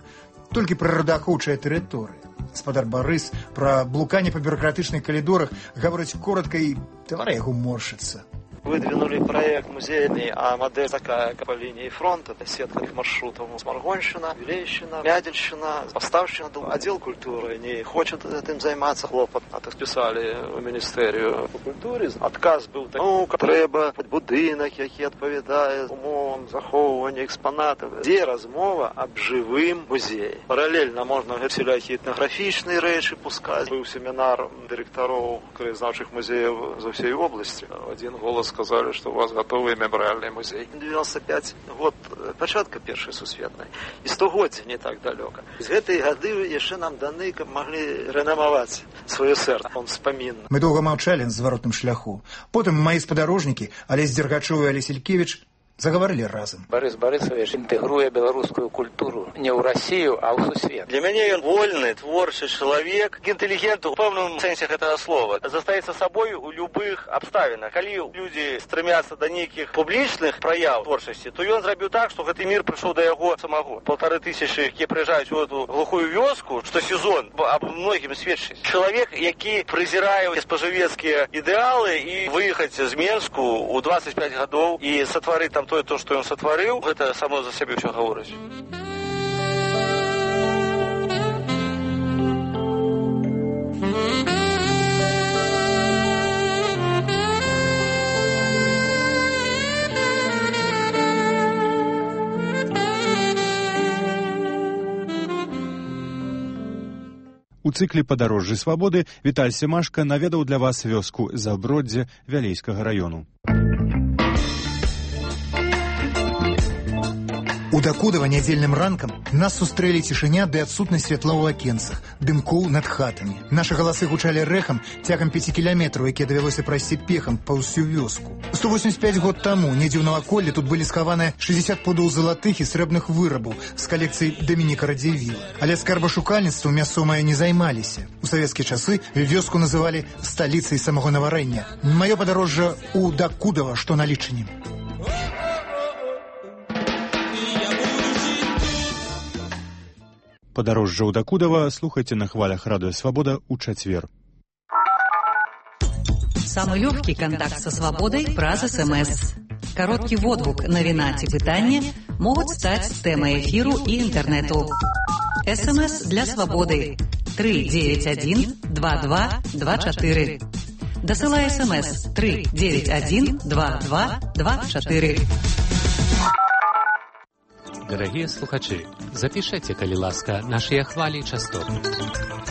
толькі прыродаахоўчая тэрыторыя. Гаспадар Барыс пра блуканне па бюракратычных калідорах гаворыць коротка і твар яго моршыцца. Выдвинули проект музейный, а модель такая по линии фронта, сетка их маршрутов. Сморгонщина, Вилейщина, Мядельщина, Поставщина. Отдел культуры не хочет этим заниматься, хлопот. А так писали в Министерию по культуре. Отказ был такой, ну, треба будинок, який відповідає умовам заховування експонатів. Де розмова об живим музеї. Паралельно можна всілякі етнографічні речі пускати. Був семінар директорів краєзнавчих музеїв з усієї області. Один голос сказали, что у вас готовый мемориальный музей. девяносто пятый год початка Первой Сусветной. И стагоддзя не так далеко. Из этой годы еще нам даны, как могли реномовать свое сердце. Он вспоминал. Мы долго молчали на зворотном шляху. Потом мои спадарожники, Олесь Дергачев и Олесь Илькевич, заговорили разом. Борис Борисович інтэгруе беларускую культуру не ў Россию, а ў сусвет. Для мяне ён вольны, творчы чалавек, інтэлігент у пэўным сэнсе гэтага слова. Застаецца сабой у любых абставінах. Калі людзі стремятся да нейкіх публічных праяў творчасці, то ён зрабіў так, што гэты мір прыйшоў да яго самого. Полторы тысячы, якія прыязджаюць у эту глухую вёску, што сезон аб многім сведчыць. Чалавек, які прызірае спажывецкія ідэалы і выехаць з Менску ў двадцать пять гадоў і сатварыць там тое, то, што ён сатварыў, гэта само за сябе ўсё гаворыць. У цыкле «Падарожжы свабоды» Віталь Семашка наведаў для вас вёску Заброддзе Вялейскага раёну. У Дакудова нядзельным ранкам нас сустрэлі цішыня ды адсутнасць святла ў акенцах, дымкоў над хатамі. Нашы галасы гучалі рэхам цягам пяці кіляметраў, якія давялося прайсці пехам па ўсю вёску. сто восемьдесят пять год таму недзе ў наваколлі тут былі схаваныя шестьдесят пудоў залатых і срэбных вырабаў з калекцыі Дамініка Радзівіла. Але скарбашукальніцтвам мясцовыя не займаліся. У савецкія часы вёску называлі сталіцай самагонаварэння. Маё падарожжа у Дакудова, што на лічыні. Падарожжа ў Дакудова слухайце на хвалях Радыё Свабода ў чацвер. Самый легкий контакт со свободой праз СМС. Короткий водгук, навіна ці пытанне могуць стаць тэмай эфіру і інтэрнэту. СМС для свободы три девять один два два два четыре. Дасылай СМС три девять один два два два четыре. Дорогие слухачи, запишите, калі ласка, наши хвали частот.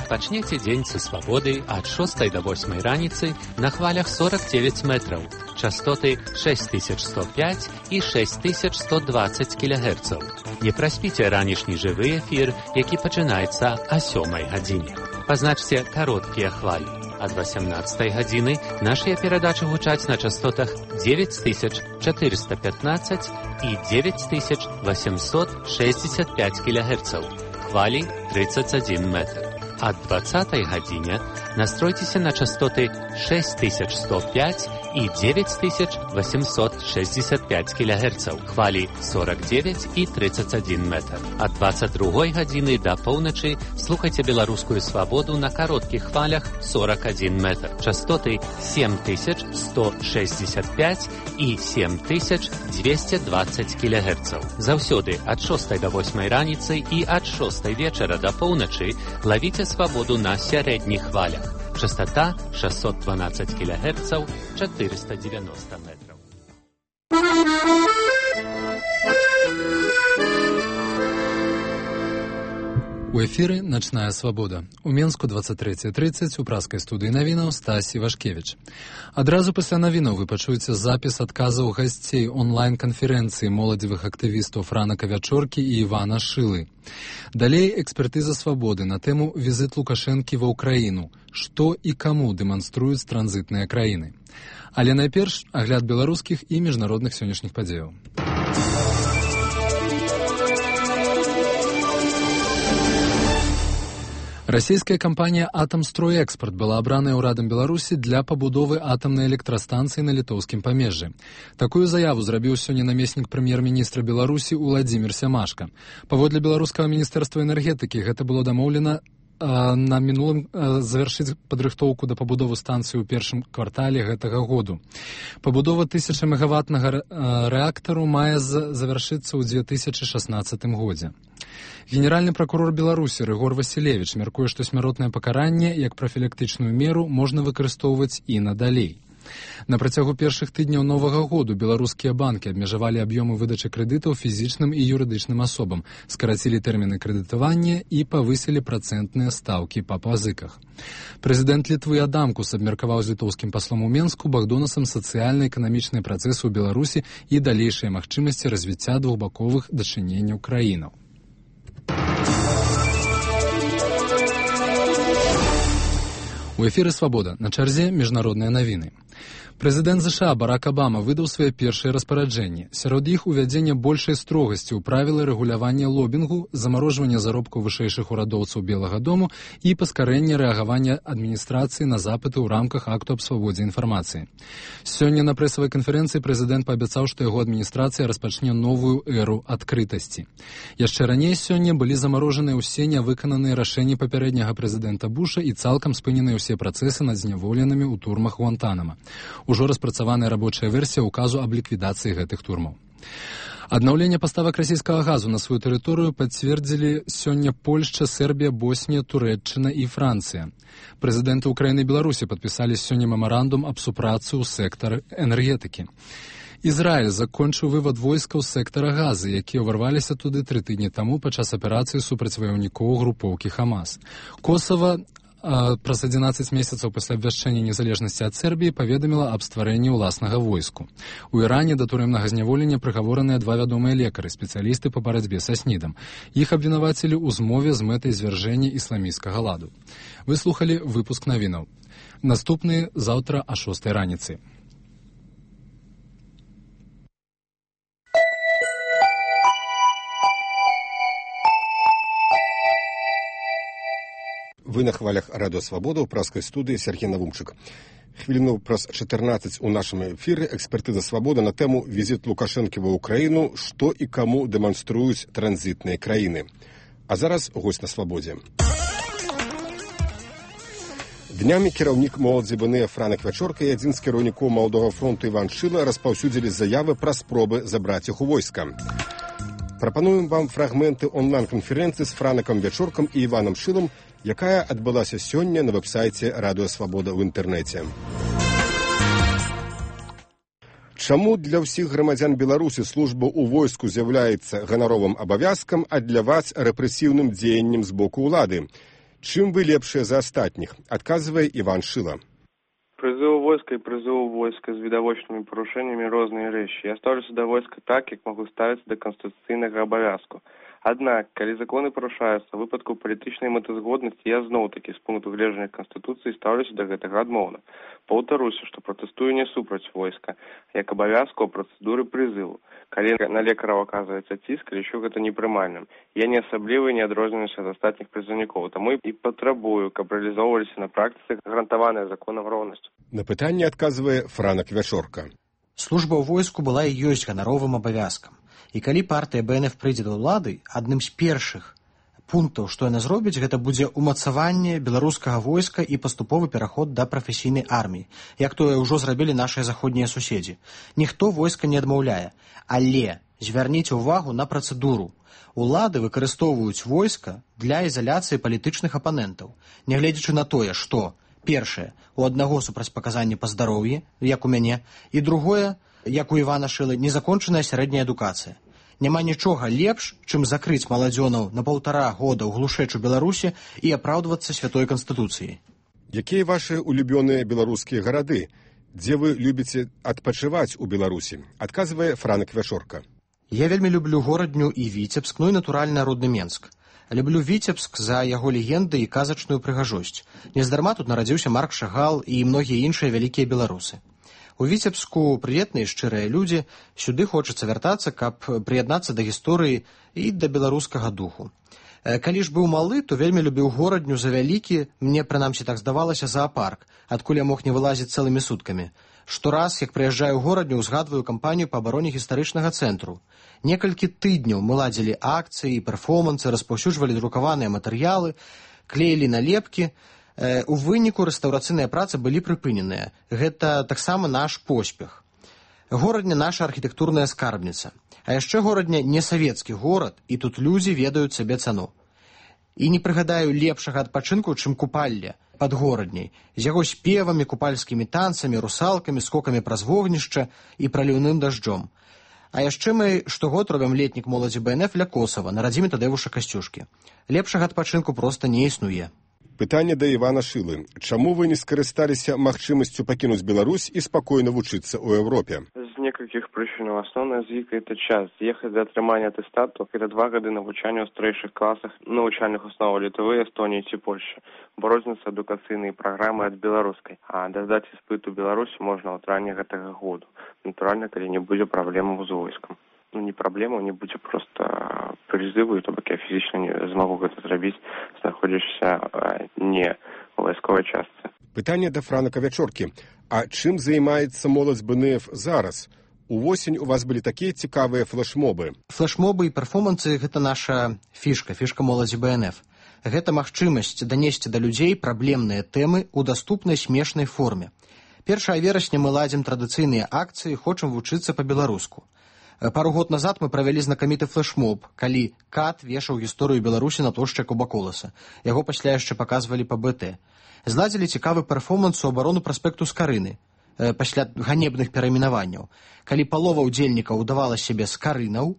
Пачнете дзень са свабоды ад шостай до восьмай раніцы на хвалях сорок девять метров, частоты шесть тысяч сто пять и шесть тысяч сто двадцать килогерцаў. Не праспіце ранішні жывы эфир, які пачынаецца о сёмай гадзіне. Пазначце кароткія хвалі. Ад восемнадцатай гадзіны нашыя перадачы гучаць на частотах девять тысяч четыреста пятнадцать и девять тысяч восемьсот шестьдесят пять килогерцаў. Хвалі тридцать один метр. Ад двадцатай гадзіне настройцеся на частоты шесть тысяч сто пять и девять тысяч восемьсот шестьдесят пять килогерцаў, хвали сорок девять и тридцать один метр. От двадцать другой гадзіны до поўначы слухайте беларускую свободу на коротких хвалях сорок один метр. Частоты семь тысяч сто шестьдесят пять и семь тысяч двести двадцать килогерцаў. Заўсёды от шостой до восьмой раніцы и от шостой вечера до поўначы ловите свободу на сярэдніх хвалях. Частота шестьсот двенадцать килогерцаў, четыреста девяносто метров. У эфіры «Начная свабода». У Менску двадцать третья тридцать, у праскай студыі навінаў Стась Івашкевіч. Адразу пасля навінаў вы пачуеце запіс адказаў гасцей онлайн-канферэнцыі моладзевых актывістаў Франака Вячоркі і Івана Шылы. Далей экспертыза свабоды на тэму «Візіт Лукашэнкі ва ўкраіну. Што і каму дэманструюць транзітныя краіны». Але найперш агляд беларускіх і міжнародных сённяшніх падзеяў. Расійская кампанія «Атамстройэкспарт» была абраная ўрадам Беларусі для пабудовы атамнай электрастанцыі на літоўскім памежжы. Такую заяву зрабіў сёння намеснік прэм'ер-міністра Беларусі Уладзімір Сямашка. Паводле беларускага міністэрства энергетыкі гэта было дамоўлена на мінулым завяршыць падрыхтоўку да пабудовы станцыі ў першым квартале гэтага году. Пабудова тысячамегаваттнага рэактару мае завяршыцца ў две тысячы шаснаццатым годзе. Генеральны пракурор Беларусі Рыгор Васілевіч мяркуе, што смяротнае пакаранне як прафілактычную меру можна выкарыстоўваць і надалей. На працягу першых тыдняў новага году беларускія банкі абмежавалі аб'ёмы выдачы крэдытаў фізічным і юрыдычным асобам, скарацілі тэрміны крэдытавання і павысілі працэнтныя стаўкі па пазыках. Прэзідэнт Літвы Адамкус абмеркаваў з літоўскім паслом у Менску Богдонасам сацыяльна-эканамічныя працэсы ў Беларусі і далейшыя магчымасці развіцця двухбаковых дачыненняў краінаў. У эфіры «Свабода». На чарзе міжнародныя навіны. Прэзідэнт ЗША Барак Абама выдаў свае першыя распараджэнні. Сярод іх увядзення большай строгасці ў правілы рэгулявання лобінгу, замарожвання заробкаў вышэйшых урадоўцаў Белага дому і паскарэння рэагавання адміністрацыі на запыты ў рамках акту аб свабодзе інфармацыі. Сёння на прэсавай канферэнцыі прэзідэнт паабяцаў, што яго адміністрацыя распачне новую эру адкрытасці. Яшчэ раней сёння былі замарожаныя ўсе нявыкананыя рашэнні папярэдняга прэзідэнта Буша і цалкам спыненыя ўсе працэсы над зняволенымі ў турмах Гуантанама. Ужо распрацаваная рабочая версія ўказу аб ліквідацыі гэтых турмаў. Аднаўленне паставак расійскага газу на сваю тэрыторыю пацвердзілі сёння Польшча, Сербія, Боснія, Турэччына і Францыя. Прэзідэнты Украіны і Беларусі падпісалі сёння мемарандум аб супрацы ў сектары энергетыкі. Ізраіль закончыў вывад войскаў з сектара Газы, якія ўварваліся туды тры тыдні таму падчас аперацыі супраць ваяўнікоў групоўкі Хамас. Косава праз адзінаццаць месяцаў пасля абвяшчэння незалежнасці ад Сербіі паведаміла аб стварэнні ўласнага войску. У Іране да турэмнага зняволення прыгавораныя два вядомыя лекары, спецыялісты па барацьбе са снідам. Іх абвінавацілі ў змове з мэтай звяржэння ісламісцкага ладу. Вы слухалі выпуск навінаў. Наступны заўтра а шостай раніцы. Вы на хвалях радыё «Свабода» ў праскай студыі Сергей Навумчык. Хвіліну праз чатырнаццаць у нашым эфіры экспертыза «Свабода» на тэму «Візіт Лукашэнкі ва ўкраіну. Што і каму дэманструюць транзітныя краіны». А зараз госць на «Свабодзе». Днямі кіраўнік моладзі БНЭ Франак Вячорка і адзін з кіраўнікоў Маладога фронту Іван Шыла распаўсюдзілі заявы пра спробы забраць іх у войска. Прапануем вам фрагменты онлайн-канферэнцыі з Франакам Вячоркам і Іванам Шылам, якая адбылася сёння на вэб-сайце радыё «Свабода» ў інтэрнэце. Чаму для ўсіх грамадзян Беларусі служба ў войску з'яўляецца ганаровым абавязкам, а для вас рэпрэсіўным дзеяннем з боку ўлады? Чым вы лепшыя за астатніх? Адказвае Іван Шыла. Призыв войска и призыв войска с видовочными порушениями разные речи. Я ставлюся до войска так, как могу ставиться до конституційного обов'язку. Аднак, калі законы парушаюцца ў выпадку палітычнай мэтазгоднасці, я зноў-такі з пункту гледжання Канстытуцыі стаўлюся да гэтага адмоўна. Паўтаруся, што пратэстую не супраць войска, як абавязку ў працэдуры прызыву. Калі на лекараў аказваецца ціск, лічу гэта непрымальным. Я не асабліва не адрозніваюся ад астатніх прызыўнікоў, таму і патрабую, каб рэалізоўваліся на практыцы гарантаваная законам роўнасць. На пытанне адказвае Франак Вячорка. Служба ў войску была і ёсць ганаровым абавязкам. І калі партыя бэ эн эф прыйдзе да ўлады, адным з першых пунктаў, што яна зробіць, гэта будзе ўмацаванне беларускага войска і паступовы пераход да прафесійнай арміі, як тое ўжо зрабілі нашыя заходнія суседзі. Ніхто войска не адмаўляе, але звярніце ўвагу на працэдуру. Улады выкарыстоўваюць войска для ізаляцыі палітычных апанентаў, нягледзячы на тое, што першае, у аднаго супрацьпаказанне па здароўі, як у мяне, і другое, як у Івана Шылы, незакончаная сярэдняя адукацыя. Няма нічога лепш, чым закрыць маладзёнаў на паўтара года ў глушэчу Беларусі і апраўдвацца святой Канстытуцыяй. Якія вашы улюбёныя беларускія гарады? Дзе вы любіце адпачываць у Беларусі? Адказвае Франак Вячорка. Я вельмі люблю горадню і Віцебск, ну і натуральна родны Менск. Люблю Віцебск за яго легенды і казачную прыгажосць. Нездарма тут нарадзіўся Марк Шагал і многія іншыя вялікія беларусы. У Віцебску прыветныя шчырыя людзі, сюды хочацца вяртацца, каб прыяднацца да гісторыі і да беларускага духу. Калі ж быў малы, то вельмі любіў горадню за вялікі, мне прынамсі так здавалася, зоапарк, адкуль я мог не вылазіць цэлымі суткамі. Штораз, як прыязджаю ў горадню, узгадваю кампанію па абароне гістарычнага цэнтру. Некалькі тыдняў мы ладзілі акцыі, перформансы, распаўсюджвалі друкаваныя матэрыялы, клеілі налепкі. У выніку рэстаўрацыйныя працы былі прыпыненыя. Гэта таксама наш поспех. Горадня наша архітэктурная скарбніца. А яшчэ горадня не савецкі горад, і тут людзі ведаюць сабе цану. І не прыгадаю лепшага адпачынку, чым купалле пад горадняй, з яго спевамі, купальскімі танцамі, русалкамі, скокамі праз вогнішча і праліўным дажджом. А яшчэ мы штогод робім летнік моладзі бэ эн эф ля Косава, на радзіме Тадэвуша Касцюшкі. Лепшага адпачынку проста не існуе. Пытанне да Івана Шылы. Чаму вы не скарысталіся магчымасцю пакінуць Беларусь і спакойна вучыцца ў Еўропе? З некалькіх прычынаў. Асноўная з іх – это час. Ехаць для атрымання атэстату – это два гады навучання ў старэйшых класах навучальных основаў Літвы, Эстонії ці Польшчы. Бо розняцца адукацыйныя праграмы ад беларускай. А дадаць іспыт у Беларусі можна ў травні гэтага году. Натуральна, калі не будзе праблемаў з войскам. Ну, не праблема, не будзе проста прызыву, то бок я фізічна не змагу гэта зрабіць, знаходзішся не у вайсковай частцы. Пытанне да Франака Вячоркі. А чым займаецца моладзь бэ эн эф зараз? Увосень у вас былі такія цікавыя флешмобы. Флешмобы і перформансы – гэта наша фішка, фішка моладзі бэ эн эф. Гэта магчымасць данесці да людзей праблемныя тэмы ў даступнай смешнай форме. першага верасня мы ладзім традыцыйныя акцыі, хочам вучыцца па-беларуску. Пару год назад мы правялі знакаміты флешмоб, калі Кат вешаў гісторыю Беларусі на плошчы Кубаколаса. Яго пасля яшчэ паказвалі па бэ тэ. Зладзілі цікавы перформанс у абарону праспекту Скарыны, пасля ганебных перайменаванняў, калі палова ўдзельнікаў удавала сябе скарынаў,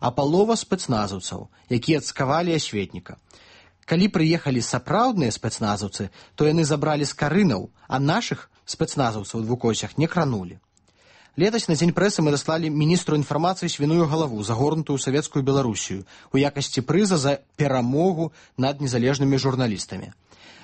а палова спецназаўцаў, якія цкавалі асветніка. Калі прыехалі сапраўдныя спецназаўцы, то яны забралі скарынаў, а нашых спецназаўцаў у двукосях не кранулі. Летась на дзень прэсы мы даслалі міністру інфармацыі свіную галаву, загорнутую савецкую Беларусію, у якасці прыза за перамогу над незалежнымі журналістамі.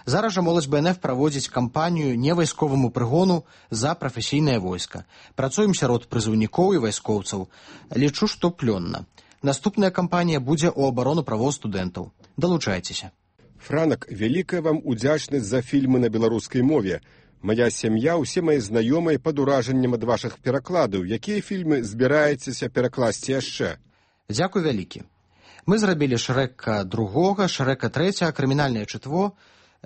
Зараз жа моладзь бэ эн эф праводзіць кампанію невайсковаму прыгону за прафесійнае войска. Працуем сярод прызыўнікоў і вайскоўцаў. Лічу, што плённа. Наступная кампанія будзе ў абарону правоў студэнтаў. Далучайцеся. Франак, вялікая вам удзячнасць за фільмы на беларускай мове. Мая сям'я, усе мае знаёмыя пад уражаннем ад вашых перакладаў. Якія фільмы збіраецеся перакласці яшчэ? Дзякуй вялікі. Мы зрабілі Шрэка другога, Шрэка трэцяга, крымінальнае чытво,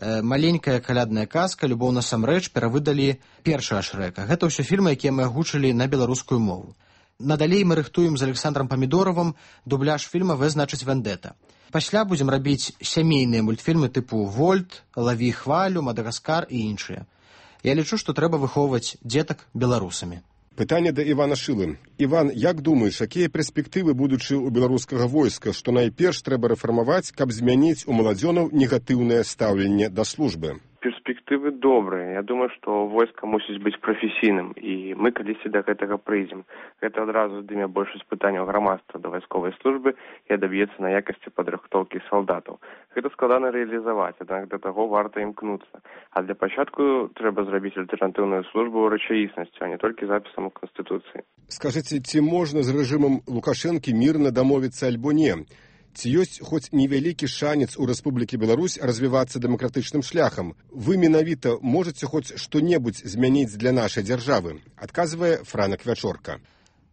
маленькая калядная казка, любоў насамрэч, перавыдалі першага Шрэка. Гэта ўсё фільмы, якія мы агучылі на беларускую мову. Надалей мы рыхтуем з Александром Памідоровым дубляж фільма «Вэ значыць вендэта». Пасля будзем рабіць сямейныя мультфільмы тыпу «Вольт», «Лаві хвалю», «Мадагаскар» і іншыя. Я лічу, што трэба выхоўваць дзетак беларусамі. Пытанне да Івана Шылы. Іван, як думаеш, якія перспектывы будучы ў беларускага войска, што найперш трэба рэфармаваць, каб змяніць у маладзёнаў негатыўнае стаўленне да службы? Перспектывы перспектывы добрыя. Я думаю, што войска мусіць быць прафесійным, і мы калісьці да гэтага прыйдзем. Гэта адразу здыме большасць пытанняў грамадства да вайсковай службы і адаб'ецца на якасці падрыхтоўкі салдатаў. Гэта складана рэалізаваць, аднак да таго варта імкнуцца. А для пачатку трэба зрабіць альтэрнатыўную службу ў рэчаіснасцю, а не толькі запісам у Канстытуцыі. Скажыце, ці можна з рэжымам Лукашэнкі мірна дамовіцца альбо не? Ці ёсць хоць невялікі шанец у Рэспублікі Беларусь развівацца дэмакратычным шляхам? Вы менавіта можаце хоць што-небудзь змяніць для нашай дзяржавы? Адказвае Франак Вячорка.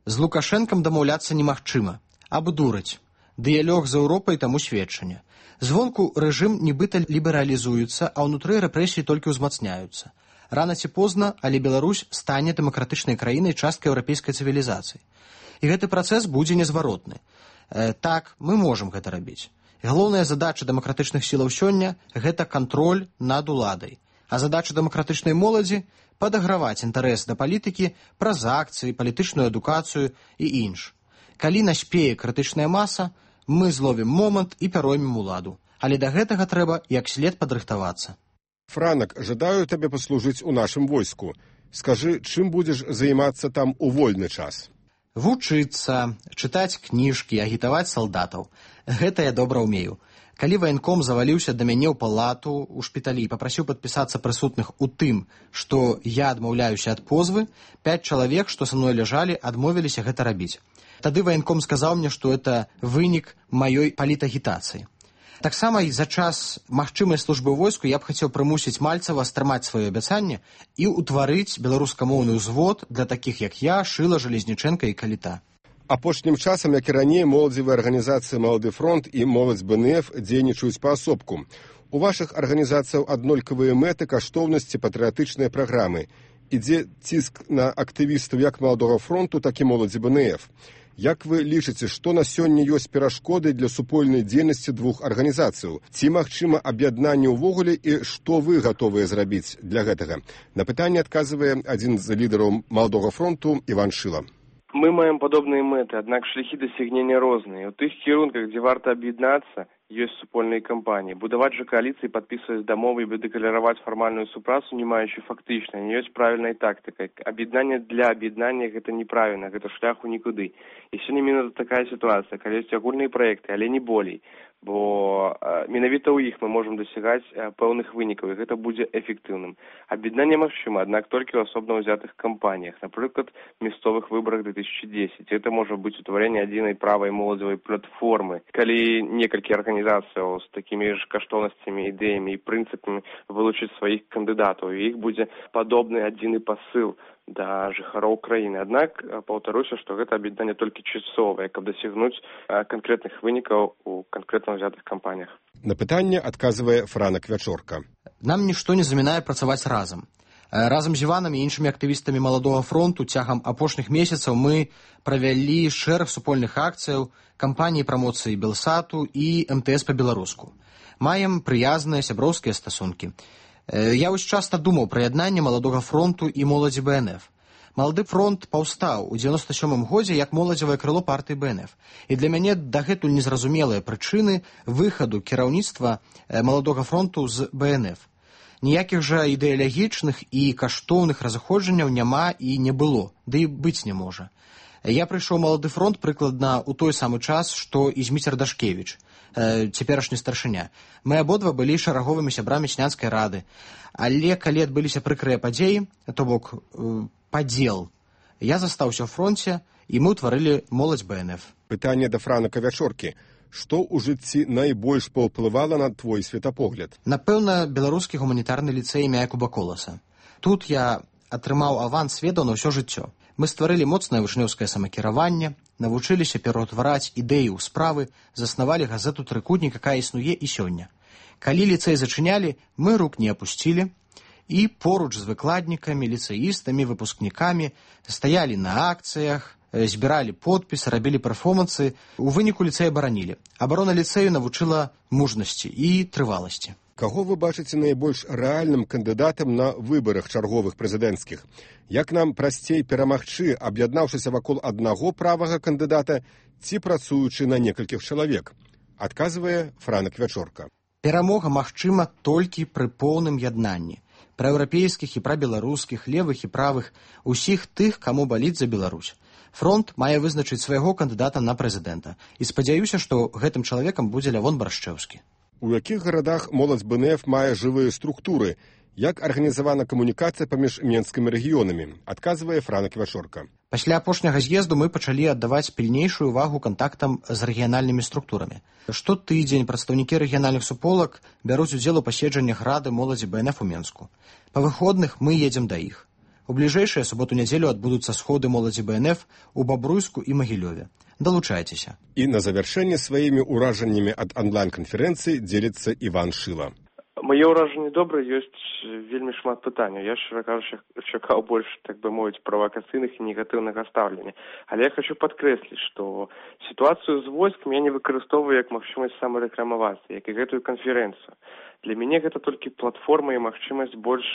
З Лукашэнкам дамаўляцца немагчыма. Абдураць. Дыялог з Еўропай таму сведчанне. Звонку рэжым нібыта лібералізуецца, а ўнутры рэпрэсіі толькі ўзмацняюцца. Рана ці позна, але Беларусь стане дэмакратычнай краінай часткай еўрапейскай цывілізацыі. І гэты працэс будзе незваротны. Э, так, мы можам гэта рабіць. Галоўная задача дэмакратычных сілаў сёння – гэта кантроль над уладай. А задача дэмакратычнай моладзі – падаграваць інтарэс да палітыкі праз акцыі, палітычную адукацыю і інш. Калі наспее крытычная маса, мы зловім момант і пяроймем уладу. Але да гэтага трэба як след падрыхтавацца. Франак, жадаю табе паслужыць у нашым войску. Скажы, чым будзеш займацца там у вольны час? Вучыцца, чытаць кніжкі, агітаваць салдатаў. Гэта я добра ўмею. Калі ваенком заваліўся да мяне ў палату ў шпіталі і папрасіў падпісацца прысутных у тым, што я адмаўляюся ад позвы, пяць чалавек, што са мной ляжалі, адмовіліся гэта рабіць. Тады ваенком сказаў мне, што это вынік маёй палітагітацыі. Таксама і за час магчымай службы ў войску я б хацеў прымусіць Мальцева стрымаць сваё абяцанне і ўтварыць беларускамоўны ўзвод для такіх, як я, Шыла, Жалезнічэнка і Каліта. Апошнім часам, як і раней, моладзевыя арганізацыі «Малады фронт» і «Моладзь БНФ» дзейнічаюць паасобку. У вашых арганізацыяў аднолькавыя мэты, каштоўнасці, патрыятычныя праграмы. Ідзе ціск на актывістаў як «Маладога фронту», так і «Моладзі БНФ». Як вы лічыце, што на сёння ёсць перашкоды для супольнай дзейнасці двух арганізацыяў? Ці магчыма аб'яднанне ўвогуле і што вы гатовыя зрабіць для гэтага? На пытанне адказвае адзін з лідараў «Маладога фронту» Іван Шыла. Мы маем падобныя мэты, аднак шляхі дасягнення розныя. У тых кірунках, дзе варта аб'яднацца, ёсць супольныя кампаніі. Будаваць жа кааліцыі, падпісваць дамовы і дэклараваць фармальную супрацу, не маючы фактычна, не ёсць правільнай тактыкай. Аб'яднанне для аб'яднання гэта неправільна, гэта шляху нікуды. І сёння менавіта такая сітуацыя, калі ёсць агульныя праекты, але не болей. Бо э, менавіта ў іх мы можам дасягаць э, пэўных вынікаў, і гэта будзе эфектыўным. Аб'яднанне магчыма, аднак толькі ў асобна ўзятых кампаніях, напрыклад, мясцовых выбарах две тысячи десять. Гэта можа быць утварэнне адзінай правай моладзевай платформы. Калі некалькі арганізацыяў з такімі ж каштоўнасцямі, ідэямі і прынцыпамі вылучыць сваіх кандыдатаў, і іх будзе падобны адзіны пасыл да жыхароў краіны. Аднак, паўтаруся, што гэта аб'яднанне толькі часовае, каб дасягнуць канкрэтных вынікаў у канкрэтна ўзятых кампаніях. На пытанне адказвае Франак Вячорка. Нам нішто не замінае працаваць разам. Разам з Іванам і іншымі актывістамі «Маладога фронту» цягам апошніх месяцаў мы правялі шэраг супольных акцыяў, кампаніі прамоцыі Белсату і эм тэ эс па-беларуску. Маем прыязныя сяброўскія стасункі. Я ўсё часта думаў пра яднанне «Маладога фронту» і «Моладзі БНФ». «Малады фронт» паўстаў у дзевяносто сёмым годзе як моладзевае крыло партыі БНФ. І для мяне дагэтуль незразумелыя прычыны выхаду кіраўніцтва «Маладога фронту» з БНФ. Ніякіх жа ідэалагічных і каштоўных разыходжанняў няма і не было, ды і быць не можа. Я прыйшоў «Малады фронт» прыкладна ў той самы час, што і Зміцер Дашкевіч, цяперашні старшыня. Мы абодва былі шараговымі сябрамі сянскай рады. Але калі адбыліся прыкрыя падзеі, то бок падзел, я застаўся ў фронце, і мы ўтварылі «Моладзь БНФ». Пытанне да Франака Вячоркі. Што ў жыцці найбольш паўплывала на твой светапогляд? Напэўна, беларускі гуманітарны ліцэй імя Якуба Коласа. Тут я атрымаў аванс ведаў на ўсё жыццё. Мы стварылі моцнае вучнёўскае самакіраванне, навучыліся пераўтвараць ідэі ў справы, заснавалі газету «Трыкутнік», якая існуе і сёння. Калі ліцэй зачынялі, мы рук не апусцілі, і поруч з выкладнікамі, ліцэістамі, выпускнікамі стаялі на акцыях, збіралі подпісы, рабілі перформансы. У выніку ліцэй абаранілі. Абарона ліцэю навучыла мужнасці і трываласці. Каго вы бачыце найбольш рэальным кандыдатам на выбарах чарговых прэзідэнцкіх? Як нам прасцей перамагчы, аб'яднаўшыся вакол аднаго правага кандыдата ці працуючы на некалькіх чалавек? Адказвае Франак Вячорка. Перамога магчыма толькі пры поўным яднанні. праеўрапейскіх і прабеларускіх, левых і правых, усіх тых, каму баліць за Беларусь. Фронт мае вызначыць свайго кандыдата на прэзідэнта. І спадзяюся, што гэтым чалавекам будзе Лявон Баршчэўскі. У якіх гарадах моладзь бэ эн эф мае жывыя структуры? Як арганізавана камунікацыя паміж менскімі рэгіёнамі? Адказвае Франа Ківашорка. Пасля апошняга з'езду мы пачалі аддаваць пільнейшую увагу кантактам з рэгіянальнымі структурамі. Штотыдзень прадстаўнікі рэгіянальных суполак бяруць удзел у паседжаннях рады моладзі бэ эн эф у Менску. Па выходных мы едзем да іх. У бліжэйшыя суботу-нядзелю адбудуцца сходы моладзі бэ эн эф у Бабруйску і Магілёве. Далучайцеся. І на завяршэнне сваімі ўражаннямі ад онлайн-канферэнцыі дзеліцца Іван Шыла. Мае ўражанні добрыя, ёсць вельмі шмат пытанняў. Я, шчыра кажучы, чакаў больш, так бы мовіць, правакацыйных і негатыўнага стаўлення. Але я хочу падкрэсліць, што сітуацыю з войскам я не выкарыстоўваю як магчымасць самарэкламавацца, як і гэтую канферэнцыю. Для мяне гэта толькі платформа і магчымасць больш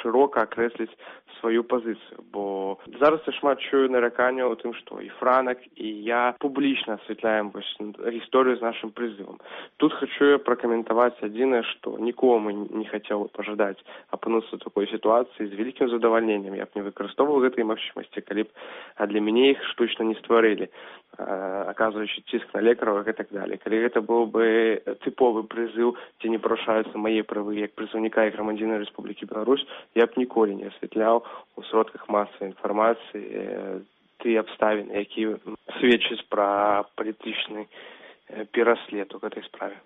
шырока акрэсліць сваю пазіцыю, бо зараз я шмат чую нараканняў у тым, што і Франак, і я публічна асвятляем вось гісторыю з нашым прызывам. Тут хочу я пракаментаваць адзінае, што нікому не хацеў пажадаць апынуцца ў такой сітуацыі. З вялікім задавальненнем я б не выкарыстоўваў гэтай магчымасці, калі б для мяне іх штучна не стварылі, аказваючы ціск на лекараў і так далее. Калі гэта быў бы тыповы прызыў, дзе не парушаюцца мае правы як прызыўніка і грамадзяніна Рэспублікі Беларусь, я б ніколі не асвятляў у сродках масавай інфармацыі тыя абставіны, якія сведчаць пра палітычны пераслед у гэтай справе.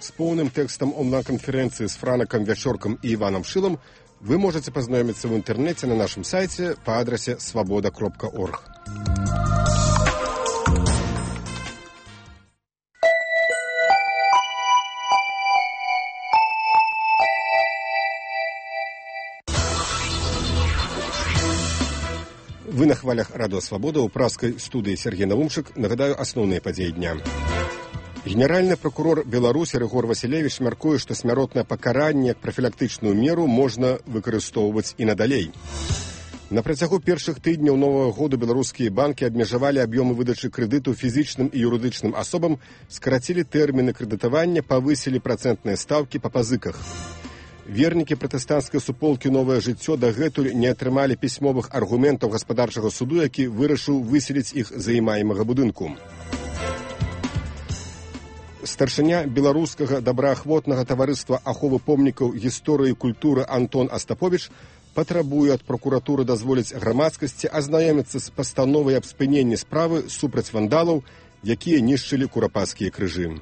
З поўным тэкстам онлайн-канферэнцыі з Франакам Вячоркам і Іванам Шылам вы можаце пазнаёміцца ў інтэрнэце на нашым сайце па адрасе свабода кропка орг. Вы на хвалях Радыё Свабода ў пражскай студыі Сергей Наумчык. Нагадаю асноўныя падзеі дня. Генеральны прокурор Беларусі Рыгор Васілевіч мяркуе, што смяротнае пакаранне як прафілактычную меру можна выкарыстоўваць і надалей. На працягу першых тыдняў новага году беларускія банкі абмежавалі аб'ёмы выдачы крэдыту фізічным і юрыдычным асобам, скарацілі тэрміны крэдытавання, павысілі працэнтныя стаўкі па пазыках. Вернікі пратэстанцкай суполкі «Новае жыццё» дагэтуль не атрымалі пісьмовых аргументаў гаспадарчага суду, які вырашыў выселіць іх з займаемага будынку. Старшыня беларускага добраахвотнага таварыства аховы помнікаў гісторыі і культуры Антон Астаповіч патрабуе ад прокуратуры дазволіць грамадскасці азнаёміцца з пастановай аб спыненні справы супраць вандалаў, якія нішчылі курапацкія крыжы.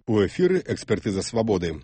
У эфіры «Экспертыза свабоды».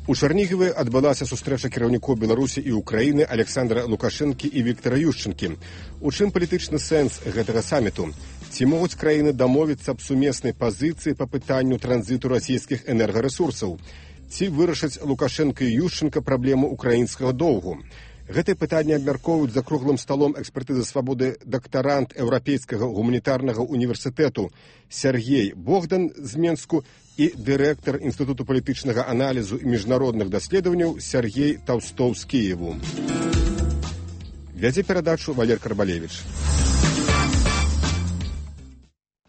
У Чарнігіве адбылася сустрэча кіраўнікоў Беларусі і Украіны Александра Лукашэнкі і Віктара Ющэнкі. У чым палітычны сэнс гэтага саміту? Ці могуць краіны дамовіцца аб сумеснай пазіцыі па пытанню транзіту расійскіх энергарэсурсаў? Ці вырашаць Лукашэнка і Ющэнка праблему украінскага доўгу? Гэтае пытанне абмяркоўваюць за круглым сталом экспертызы свабоды дактарант Еўрапейскага гуманітарнага універсітэту Сергей Богдан з Менску і дырэктар Інстытуту палітычнага аналізу і міжнародных даследаванняў Сергей Таўстоў з Кіеву. Вядзе перадачу Валер Карбалевіч.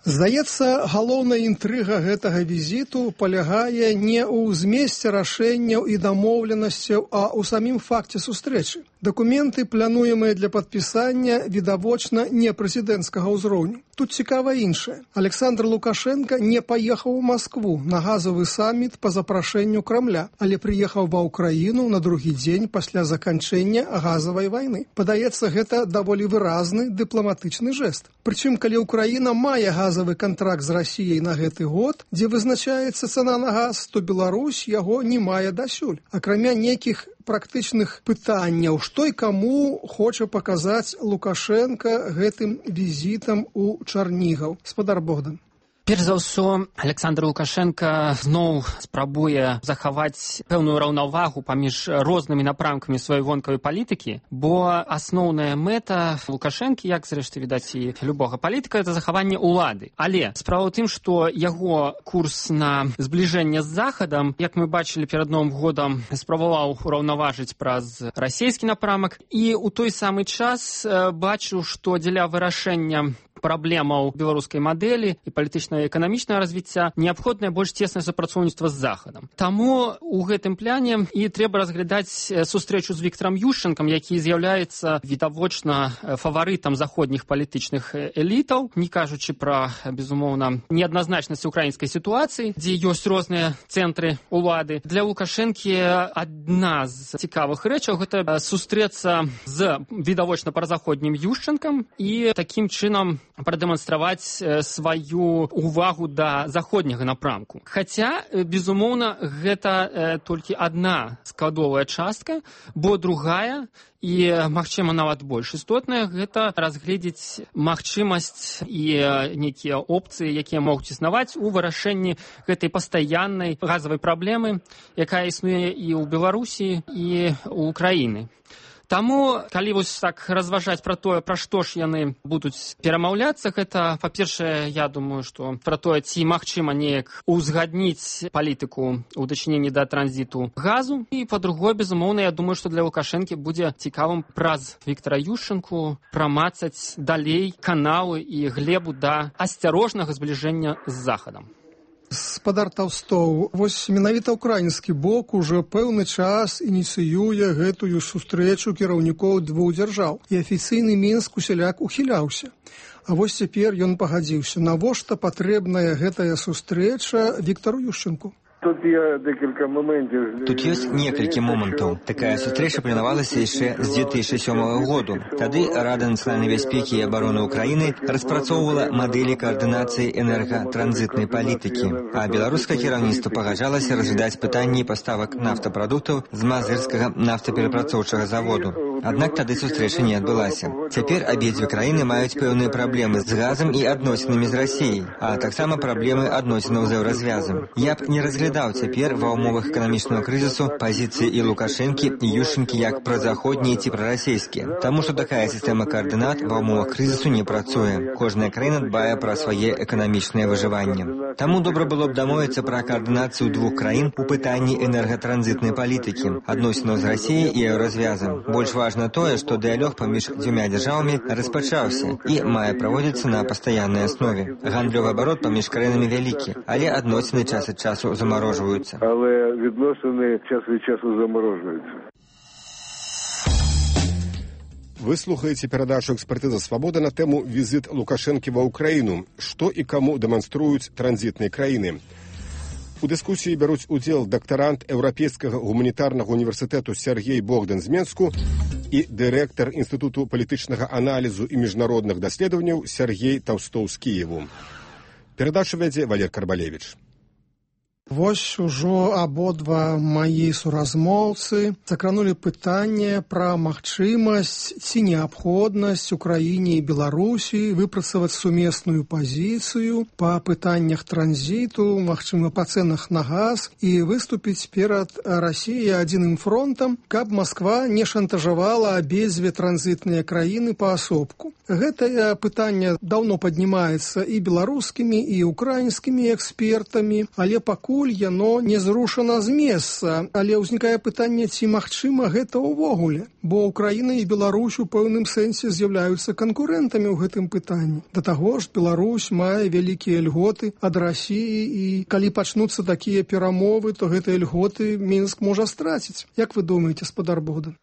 Здаецца, галоўная інтрыга гэтага візіту палягае не ў змесце рашэнняў і дамоўленасцяў, а ў самім факце сустрэчы. Дакументы, плануемыя для падпісання, відавочна не прэзідэнцкага ўзроўню. Тут цікава іншае. Александр Лукашенко не паехаў у Маскву на газавы саміт па запрашэнню Крамля, але прыехаў ва ўкраіну на другі дзень пасля заканчэння газавай вайны. Падаецца, гэта даволі выразны дыпламатычны жэст. Прычым, калі Украіна мае газавы кантракт з Расіяй на гэты год, дзе вызначаецца цана на газ, то Беларусь яго не мае дасюль. Акрамя нейкіх практычных пытанняў, што і каму хоча паказаць Лукашенко гэтым візітам у Чарнігаў. Спадар Богдан. Перш за ўсё, Александр Лукашенко зноў спрабуе захаваць пэўную раўнавагу паміж рознымі напрамкамі сваёй вонкавай палітыкі, бо асноўная мэта Лукашэнкі, як зрэшты відаць і любога палітыка, это захаванне ўлады. Але справа ў тым, што яго курс на збліжэнне з Захадам, як мы бачылі перад Новым годам, спрабаваў ураўнаважыць праз расійскі напрамак, і ў той самы час бачыў, што дзеля вырашэння праблемаў беларускай мадэлі і палітычна-эканамічнага развіцця неабходнае больш цеснае супрацоўніцтва з Захадам. Таму у гэтым пляне і трэба разглядаць сустрэчу з Віктарам Ющэнкам, які з'яўляецца відавочна фаварытам заходніх палітычных элітаў, не кажучы пра, безумоўна, неадназначнасць украінскай сітуацыі, дзе ёсць розныя цэнтры ўлады. Для Лукашэнкі адна з цікавых рэчаў гэта сустрэцца з відавочна празаходнім Ющэнкам і такім чынам прадэманстраваць сваю увагу да заходняга напрамку. Хаця, безумоўна, гэта толькі адна складовая частка, бо другая і, магчыма, нават больш істотная, гэта разгледзець магчымасць і нейкія опцыі, якія могуць існаваць у вырашэнні гэтай пастаяннай газавай праблемы, якая існуе і ў Беларусі, і ў Украіны. Таму, калі вось так разважаць пра тое, пра што ж яны будуць перамаўляцца, гэта, па-першае, я думаю, што пра тое, ці магчыма неяк узгадніць палітыку ў дачыненні да транзіту газу, і, па-другое, безумоўна, я думаю, што для Лукашэнкі будзе цікавым праз Віктара Ющэнку прамацаць далей каналы і глебу да асцярожнага збліжэння з Захадам. Спадар Таўстоў, вось менавіта ўкраінскі бок ужо пэўны час ініцыюе гэтую сустрэчу кіраўнікоў двух дзяржаў, і афіцыйны Мінск усяляк ухіляўся. А вось цяпер ён пагадзіўся. Навошта патрэбная гэтая сустрэча Віктару Ющэнку? Тут ёсць некалькі момантаў. Такая сустрэча планавалася яшчэ з дзве тысячы сёмага году. Тады Рада нацыянальнай бяспекі і абароны Украіны распрацоўвала мадэлі каардынацыі энергатранзітнай палітыкі, а беларускае кіраўніцтва пагаджалася разглядаць пытанні паставак нафтапрадуктаў з мазырскага нафтаперапрацоўчага заводу. Аднак тады сустрэча не адбылася. Цяпер абедзве краіны маюць пэўныя праблемы з газам і адносінамі з Расіяй, а таксама праблемы адносінаў з еўразвязам. Я б не разглядаў цяпер ва ўмовах эканамічнага крызісу пазіцыі і Лукашэнкі, і Ющэнкі як празаходнія ці прарасійскія, таму што такая сістэма каардынат ва ўмовах крызісу не працуе. Кожная краіна дбае пра свае эканамічнае выжыванне. Таму добра было б дамовіцца пра каардынацыю двух краін у пытанні энергатранзітнай палітыкі, адносінаў з Расіяй і еўразвязам. Больш важна тое, што дыялог паміж дзвюма дзяржавамі распачаўся і мае праводзіцца на пастаяннай аснове. Гандлёвы абарот паміж краінамі вялікі, але адносіны час ад часу замарожваюцца. Але відносини час від часу заморожуються. Вы слухаеце перадачу «Экспертыза свабоды» на тэму «Візіт Лукашэнкі ва Ўкраіну. Што і каму дэманструюць транзітныя краіны». У дыскусіі бяруць удзел дактарант Еўрапейскага гуманітарнага універсітэту Сергей Богдан з Менску і дырэктар Інстытуту палітычнага аналізу і міжнародных даследаванняў Сергей Таўстоў з Кіеву. Перадачу вядзе Валер Карбалевіч. Вось ужо абодва маі суразмоўцы закранулі пытанне пра магчымасць ці неабходнасць Украіне і Беларусі выпрацаваць сумесную пазіцыю па пытаннях транзіту, магчыма, па цэнах на газ і выступіць перад Расіяй адзіным фронтам, каб Масква не шантажавала абедзве транзітныя краіны паасобку. Гэтае пытанне даўно паднімаецца і беларускімі, і украінскімі экспертамі, але пакуль яно не зрушана з месца, але ўзнікае пытанне, ці магчыма гэта ўвогуле, бо Украіна і Беларусь у пэўным сэнсе з'яўляюцца канкурэнтамі ў гэтым пытанні. Да таго ж, Беларусь мае вялікія льготы ад Расіі, і калі пачнуцца такія перамовы, то гэтыя льготы Мінск можа страціць. Як вы думаеце, спадар Богдан?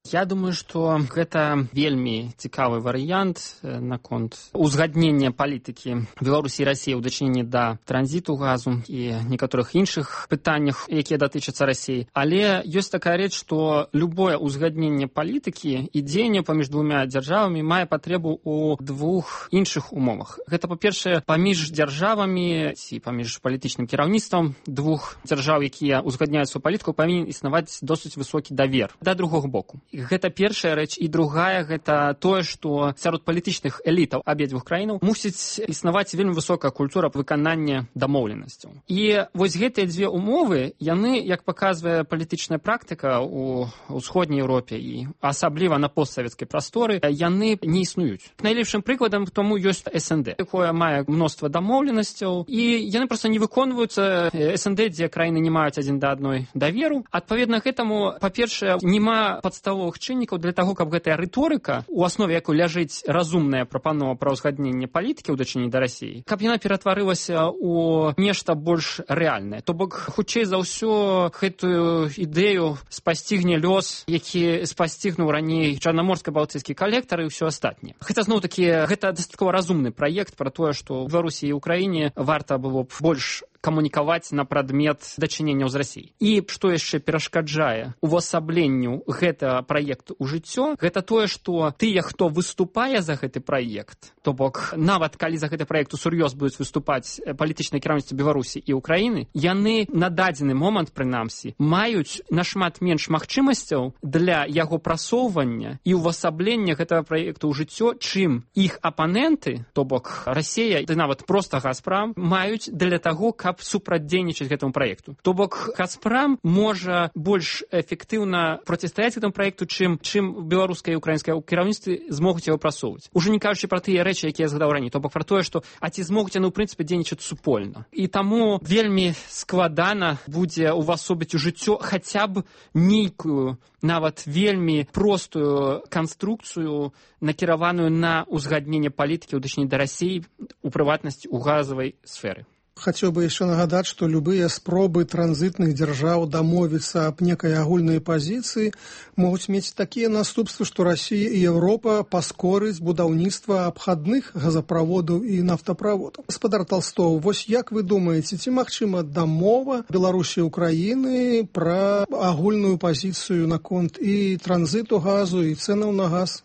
Я думаю, што гэта вельмі цікавы варыянт наконт узгаднення палітыкі Беларусі і Расіі ў дачыненні да транзіту газу і некаторых іншых пытаннях, якія датычацца Расіі. Але ёсць такая рэч, што любое узгадненне палітыкі і дзеянне паміж двумя дзяржавамі мае патрэбу ў двух іншых умовах. Гэта, па-першае, паміж дзяржавамі ці паміж палітычным кіраўніцтвам двух дзяржаў, якія ўзгадняюць сваю палітыку, павінен існаваць досыць высокі давер да другога боку. Гэта першая рэч, і другая гэта тое, што сярод палітычных элітаў абедзвюх краінаў мусіць існаваць вельмі высокая культура выканання дамоўленасцяў. І вось гэтыя дзве умовы, яны, як паказвае палітычная практыка ў усходняй Еўропе і асабліва на постсавецкай прасторы, яны не існуюць. Найлепшым прыкладам тому ёсць эс эн дэ, якое мае мноства дамоўленасцяў, і яны проста не выконваюцца. эс эн дэ, дзе краіны не маюць адзін да адной даверу. Адпаведна гэтаму, па-першае, няма падставовых чыннікаў для таго, каб гэтая рыторыка, у аснове якой ляжыць разумная прапанова пра ўзгадненне палітыкі ў дачыненні да Расіі, каб яна ператварылася ў нешта больш рэальнае. То бок, хутчэй за ўсё, гэтую ідэю спасцігне лёс, які спасцігнуў раней чарнаморска-балтыйскі калектар і ўсё астатняе. Хаця, зноў-такі, гэта дастаткова разумны праект пра тое, што ў Беларусі і Украіне варта было б больш камунікаваць на прадмет дачыненняў з Расіяй. І што яшчэ перашкаджае увасабленню гэтага праекту ў жыццё, гэта тое, што тыя, хто выступае за гэты праект, то бок нават калі за гэты праект усур'ёз будуць выступаць палітычныя кіраўніцтвы Беларусі і Украіны, яны на дадзены момант, прынамсі, маюць нашмат менш магчымасцяў для яго прасоўвання і увасаблення гэтага праекту ў жыццё, чым іх апаненты, то бок Расія, ды нават проста Газпрам, маюць для таго, каб супрацьдзейнічаць гэтаму праекту. То бок Газпрам можа больш эфектыўна процістаяць гэтаму праекту, чым чым беларускае і украінскае кіраўніцтвы змогуць яго прасоўваць. Ужо не кажучы пра тыя рэчы, якія я згадаў раней, то бок пра тое, што а ці змогуць яны ў прынцыпе дзейнічаць супольна. І таму вельмі складана будзе увасобіць у жыццё хаця б нейкую, нават вельмі простую канструкцыю, накіраваную на ўзгадненне палітыкі ў дачыненні да Расіі, у прыватнасці ў газавай сферы. Хацеў бы яшчэ нагадаць, што любыя спробы транзітных дзяржаў дамовіцца аб некай агульнай пазіцыі могуць мець такія наступствы, што Расія і Еўропа паскорыць будаўніцтва абхадных газаправодаў і нафтаправодаў. Гаспадар Талстоў, вось як вы думаеце, ці магчыма дамова Беларусі і Украіны пра агульную пазіцыю наконт і транзиту газу, і цэнаў на газ?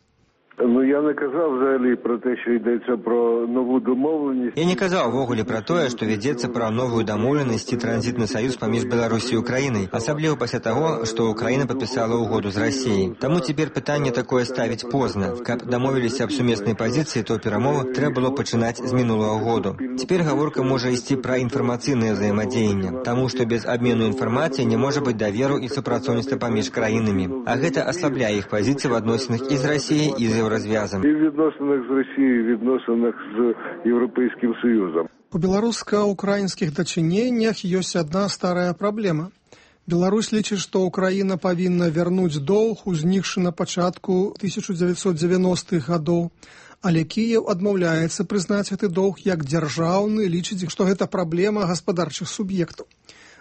Ну, я не казав взагалі про те, що йдеться про нову домовленість. Я не казав ввогуле про тое, што вядзецца пра новую дамоўленасць і транзітны саюз паміж Беларусі і Украінай, асабліва пасля таго, што Украіна падпісала ўгоду з Расіяй. Таму цяпер пытанне такое ставіць позна. Каб дамовіліся аб сумеснай пазіцыі, то перамовы трэба было пачынаць з мінулага году. Цяпер гаворка можа ісці пра інфармацыйнае ўзаемадзеянне, таму што без абмену інфармацыі не можа быць даверу і супрацоўніцтва паміж краінамі. А гэта аслабляе іх пазіцыі в адносінах і з Расіяй, і з розв'язом. І в відносинах з Росією, і в відносинах з Європейським Союзом. У беларуска-украінскіх дачыненнях ёсць адна старая праблема. Беларусь лічыць, што Украіна павінна вярнуць доўг, узнікшы на пачатку тысяча дзевяцьсот дзевяностых гадоў. Але Кіеў адмаўляецца прызнаць гэты доўг як дзяржаўны, лічыць, што гэта праблема гаспадарчых суб'ектаў.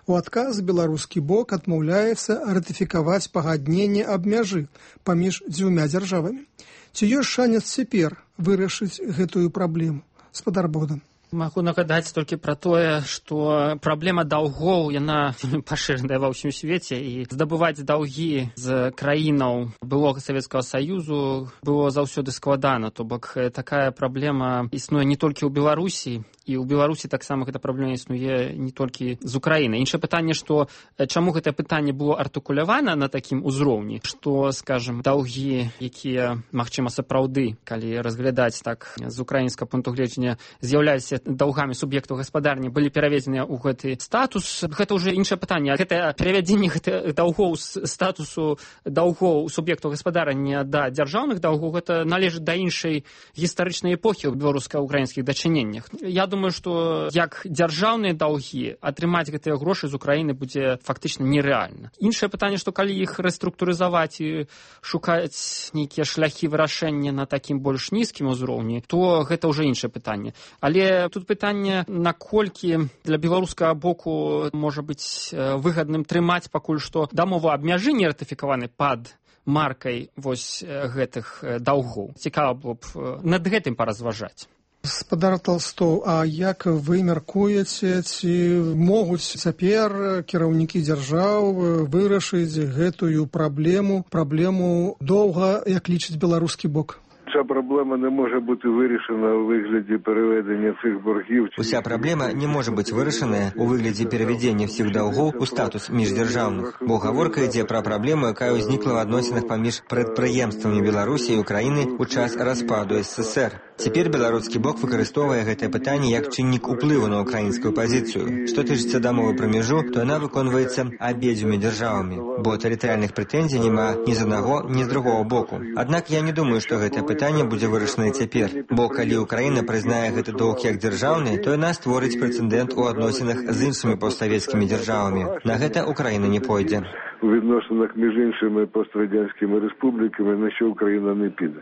У адказ беларускі бок адмаўляецца ратыфікаваць пагадненне аб мяжы паміж дзвюма дзяржавамі. Ці ёсць шанец цяпер вырашыць гэтую праблему? Гаспадар Богдан. Магу нагадаць толькі пра тое, што праблема даўгоў, яна пашыраная ва ўсім свеце, і здабываць даўгі з краінаў былога Савецкага Саюзу было заўсёды складана. То бок такая праблема існуе не толькі ў Беларусі, і ў Беларусі таксама гэта праблема існуе не толькі з Украінай. Іншае пытанне, што чаму гэтае пытанне было артыкулявана на такім узроўні, што, скажам, даўгі, якія, магчыма, сапраўды, калі разглядаць так з украінскага пункту гледжання, з'яўляюцца даўгамі суб'ектаў гаспадарні, былі пераведзеныя ў гэты статус. Гэта ўжо іншае пытанне. Гэта перавядзенне гэтых даўгоў з статусу даўгоў суб'ектаў гаспадарання да дзяржаўных даўгоў, гэта належыць да іншай гістарычнай эпохі ў беларуска-украінскіх дачыненнях. Я думаю, што як дзяржаўныя даўгі атрымаць гэтыя грошы з Украіны будзе фактычна нерэальна. Іншае пытанне, што калі іх рэструктурызаваць і шукаць нейкія шляхі вырашэння на такім больш нізкім узроўні, то гэта ўжо іншае пытанне. Але тут пытанне, наколькі для беларускага боку можа быць выгадным трымаць пакуль што дамову аб мяжы не ратыфікаваны пад маркай вось гэтых даўгоў. Цікава было б над гэтым паразважаць. Гаспадар Талстоў, а як вы мяркуеце, ці могуць цяпер кіраўнікі дзяржаў вырашыць гэтую праблему, праблему доўга, як лічыць беларускі бок? Уся проблема не може бути вирішена у вигляді переведення цих боргів. Уся праблема не може бути вирішена у вигляді переведення всіх долгов у статус міждержавних. Бо гаворка йде про проблему, яка узнікла в адносинах паміж прадпрыемствамі Беларусі і Украіны у час распаду СССР. Цяпер беларускі бок выкарыстоўвае гэтае пытанне як чыннік уплыву на украінскую пазіцыю. Што тычыцца дамовы пра мяжу, то яна выконваецца абедзвюмі дзяржавамі, бо тэрытарыяльных прэтэнзій няма ні з аднаго, ні з другого боку. Аднак я не думаю, што гэтае пытанне будзе вырашана цяпер, бо калі Украіна прызнае гэты доўг як дзяржаўны, то яна створыць прэцэдэнт у адносінах з іншымі постсавецкімі дзяржавамі. На гэта Украіна не пойдзе. У відносинах між іншими пострадянськими республіками, на що Україна не піде.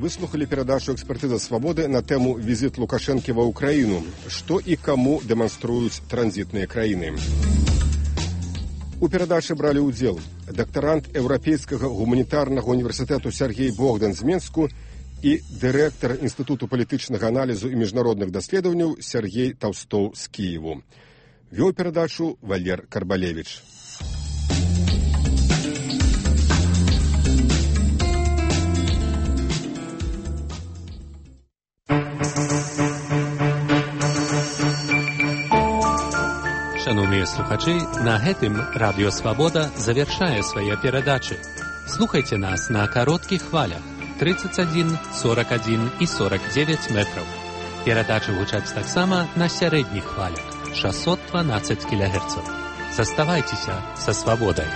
Выслухали перадачу «Экспертиза свободы» на тему «Визит Лукашенко в Украину. Что и кому демонструют транзитные краины». У перадачы брали удзел дактарант Еўрапейскага гуманітарнага універсітэту Сергей Богдан з Менску і дырэктар Інстытуту палітычнага аналізу і міжнародных даследаванняў Сергей Таўстоў з Кіеву. Вёў перадачу Валер Карбалевіч. Шановныя слухачы, на гэтым Радыё Свабода завяршае свае перадачы. Слухайце нас на кароткіх хвалях тридцать один, сорок один и сорок девять метров. Перадачы гучаць таксама на сярэдніх хвалях шестьсот двенадцать килогерцов. Заставайцеся са свабодай.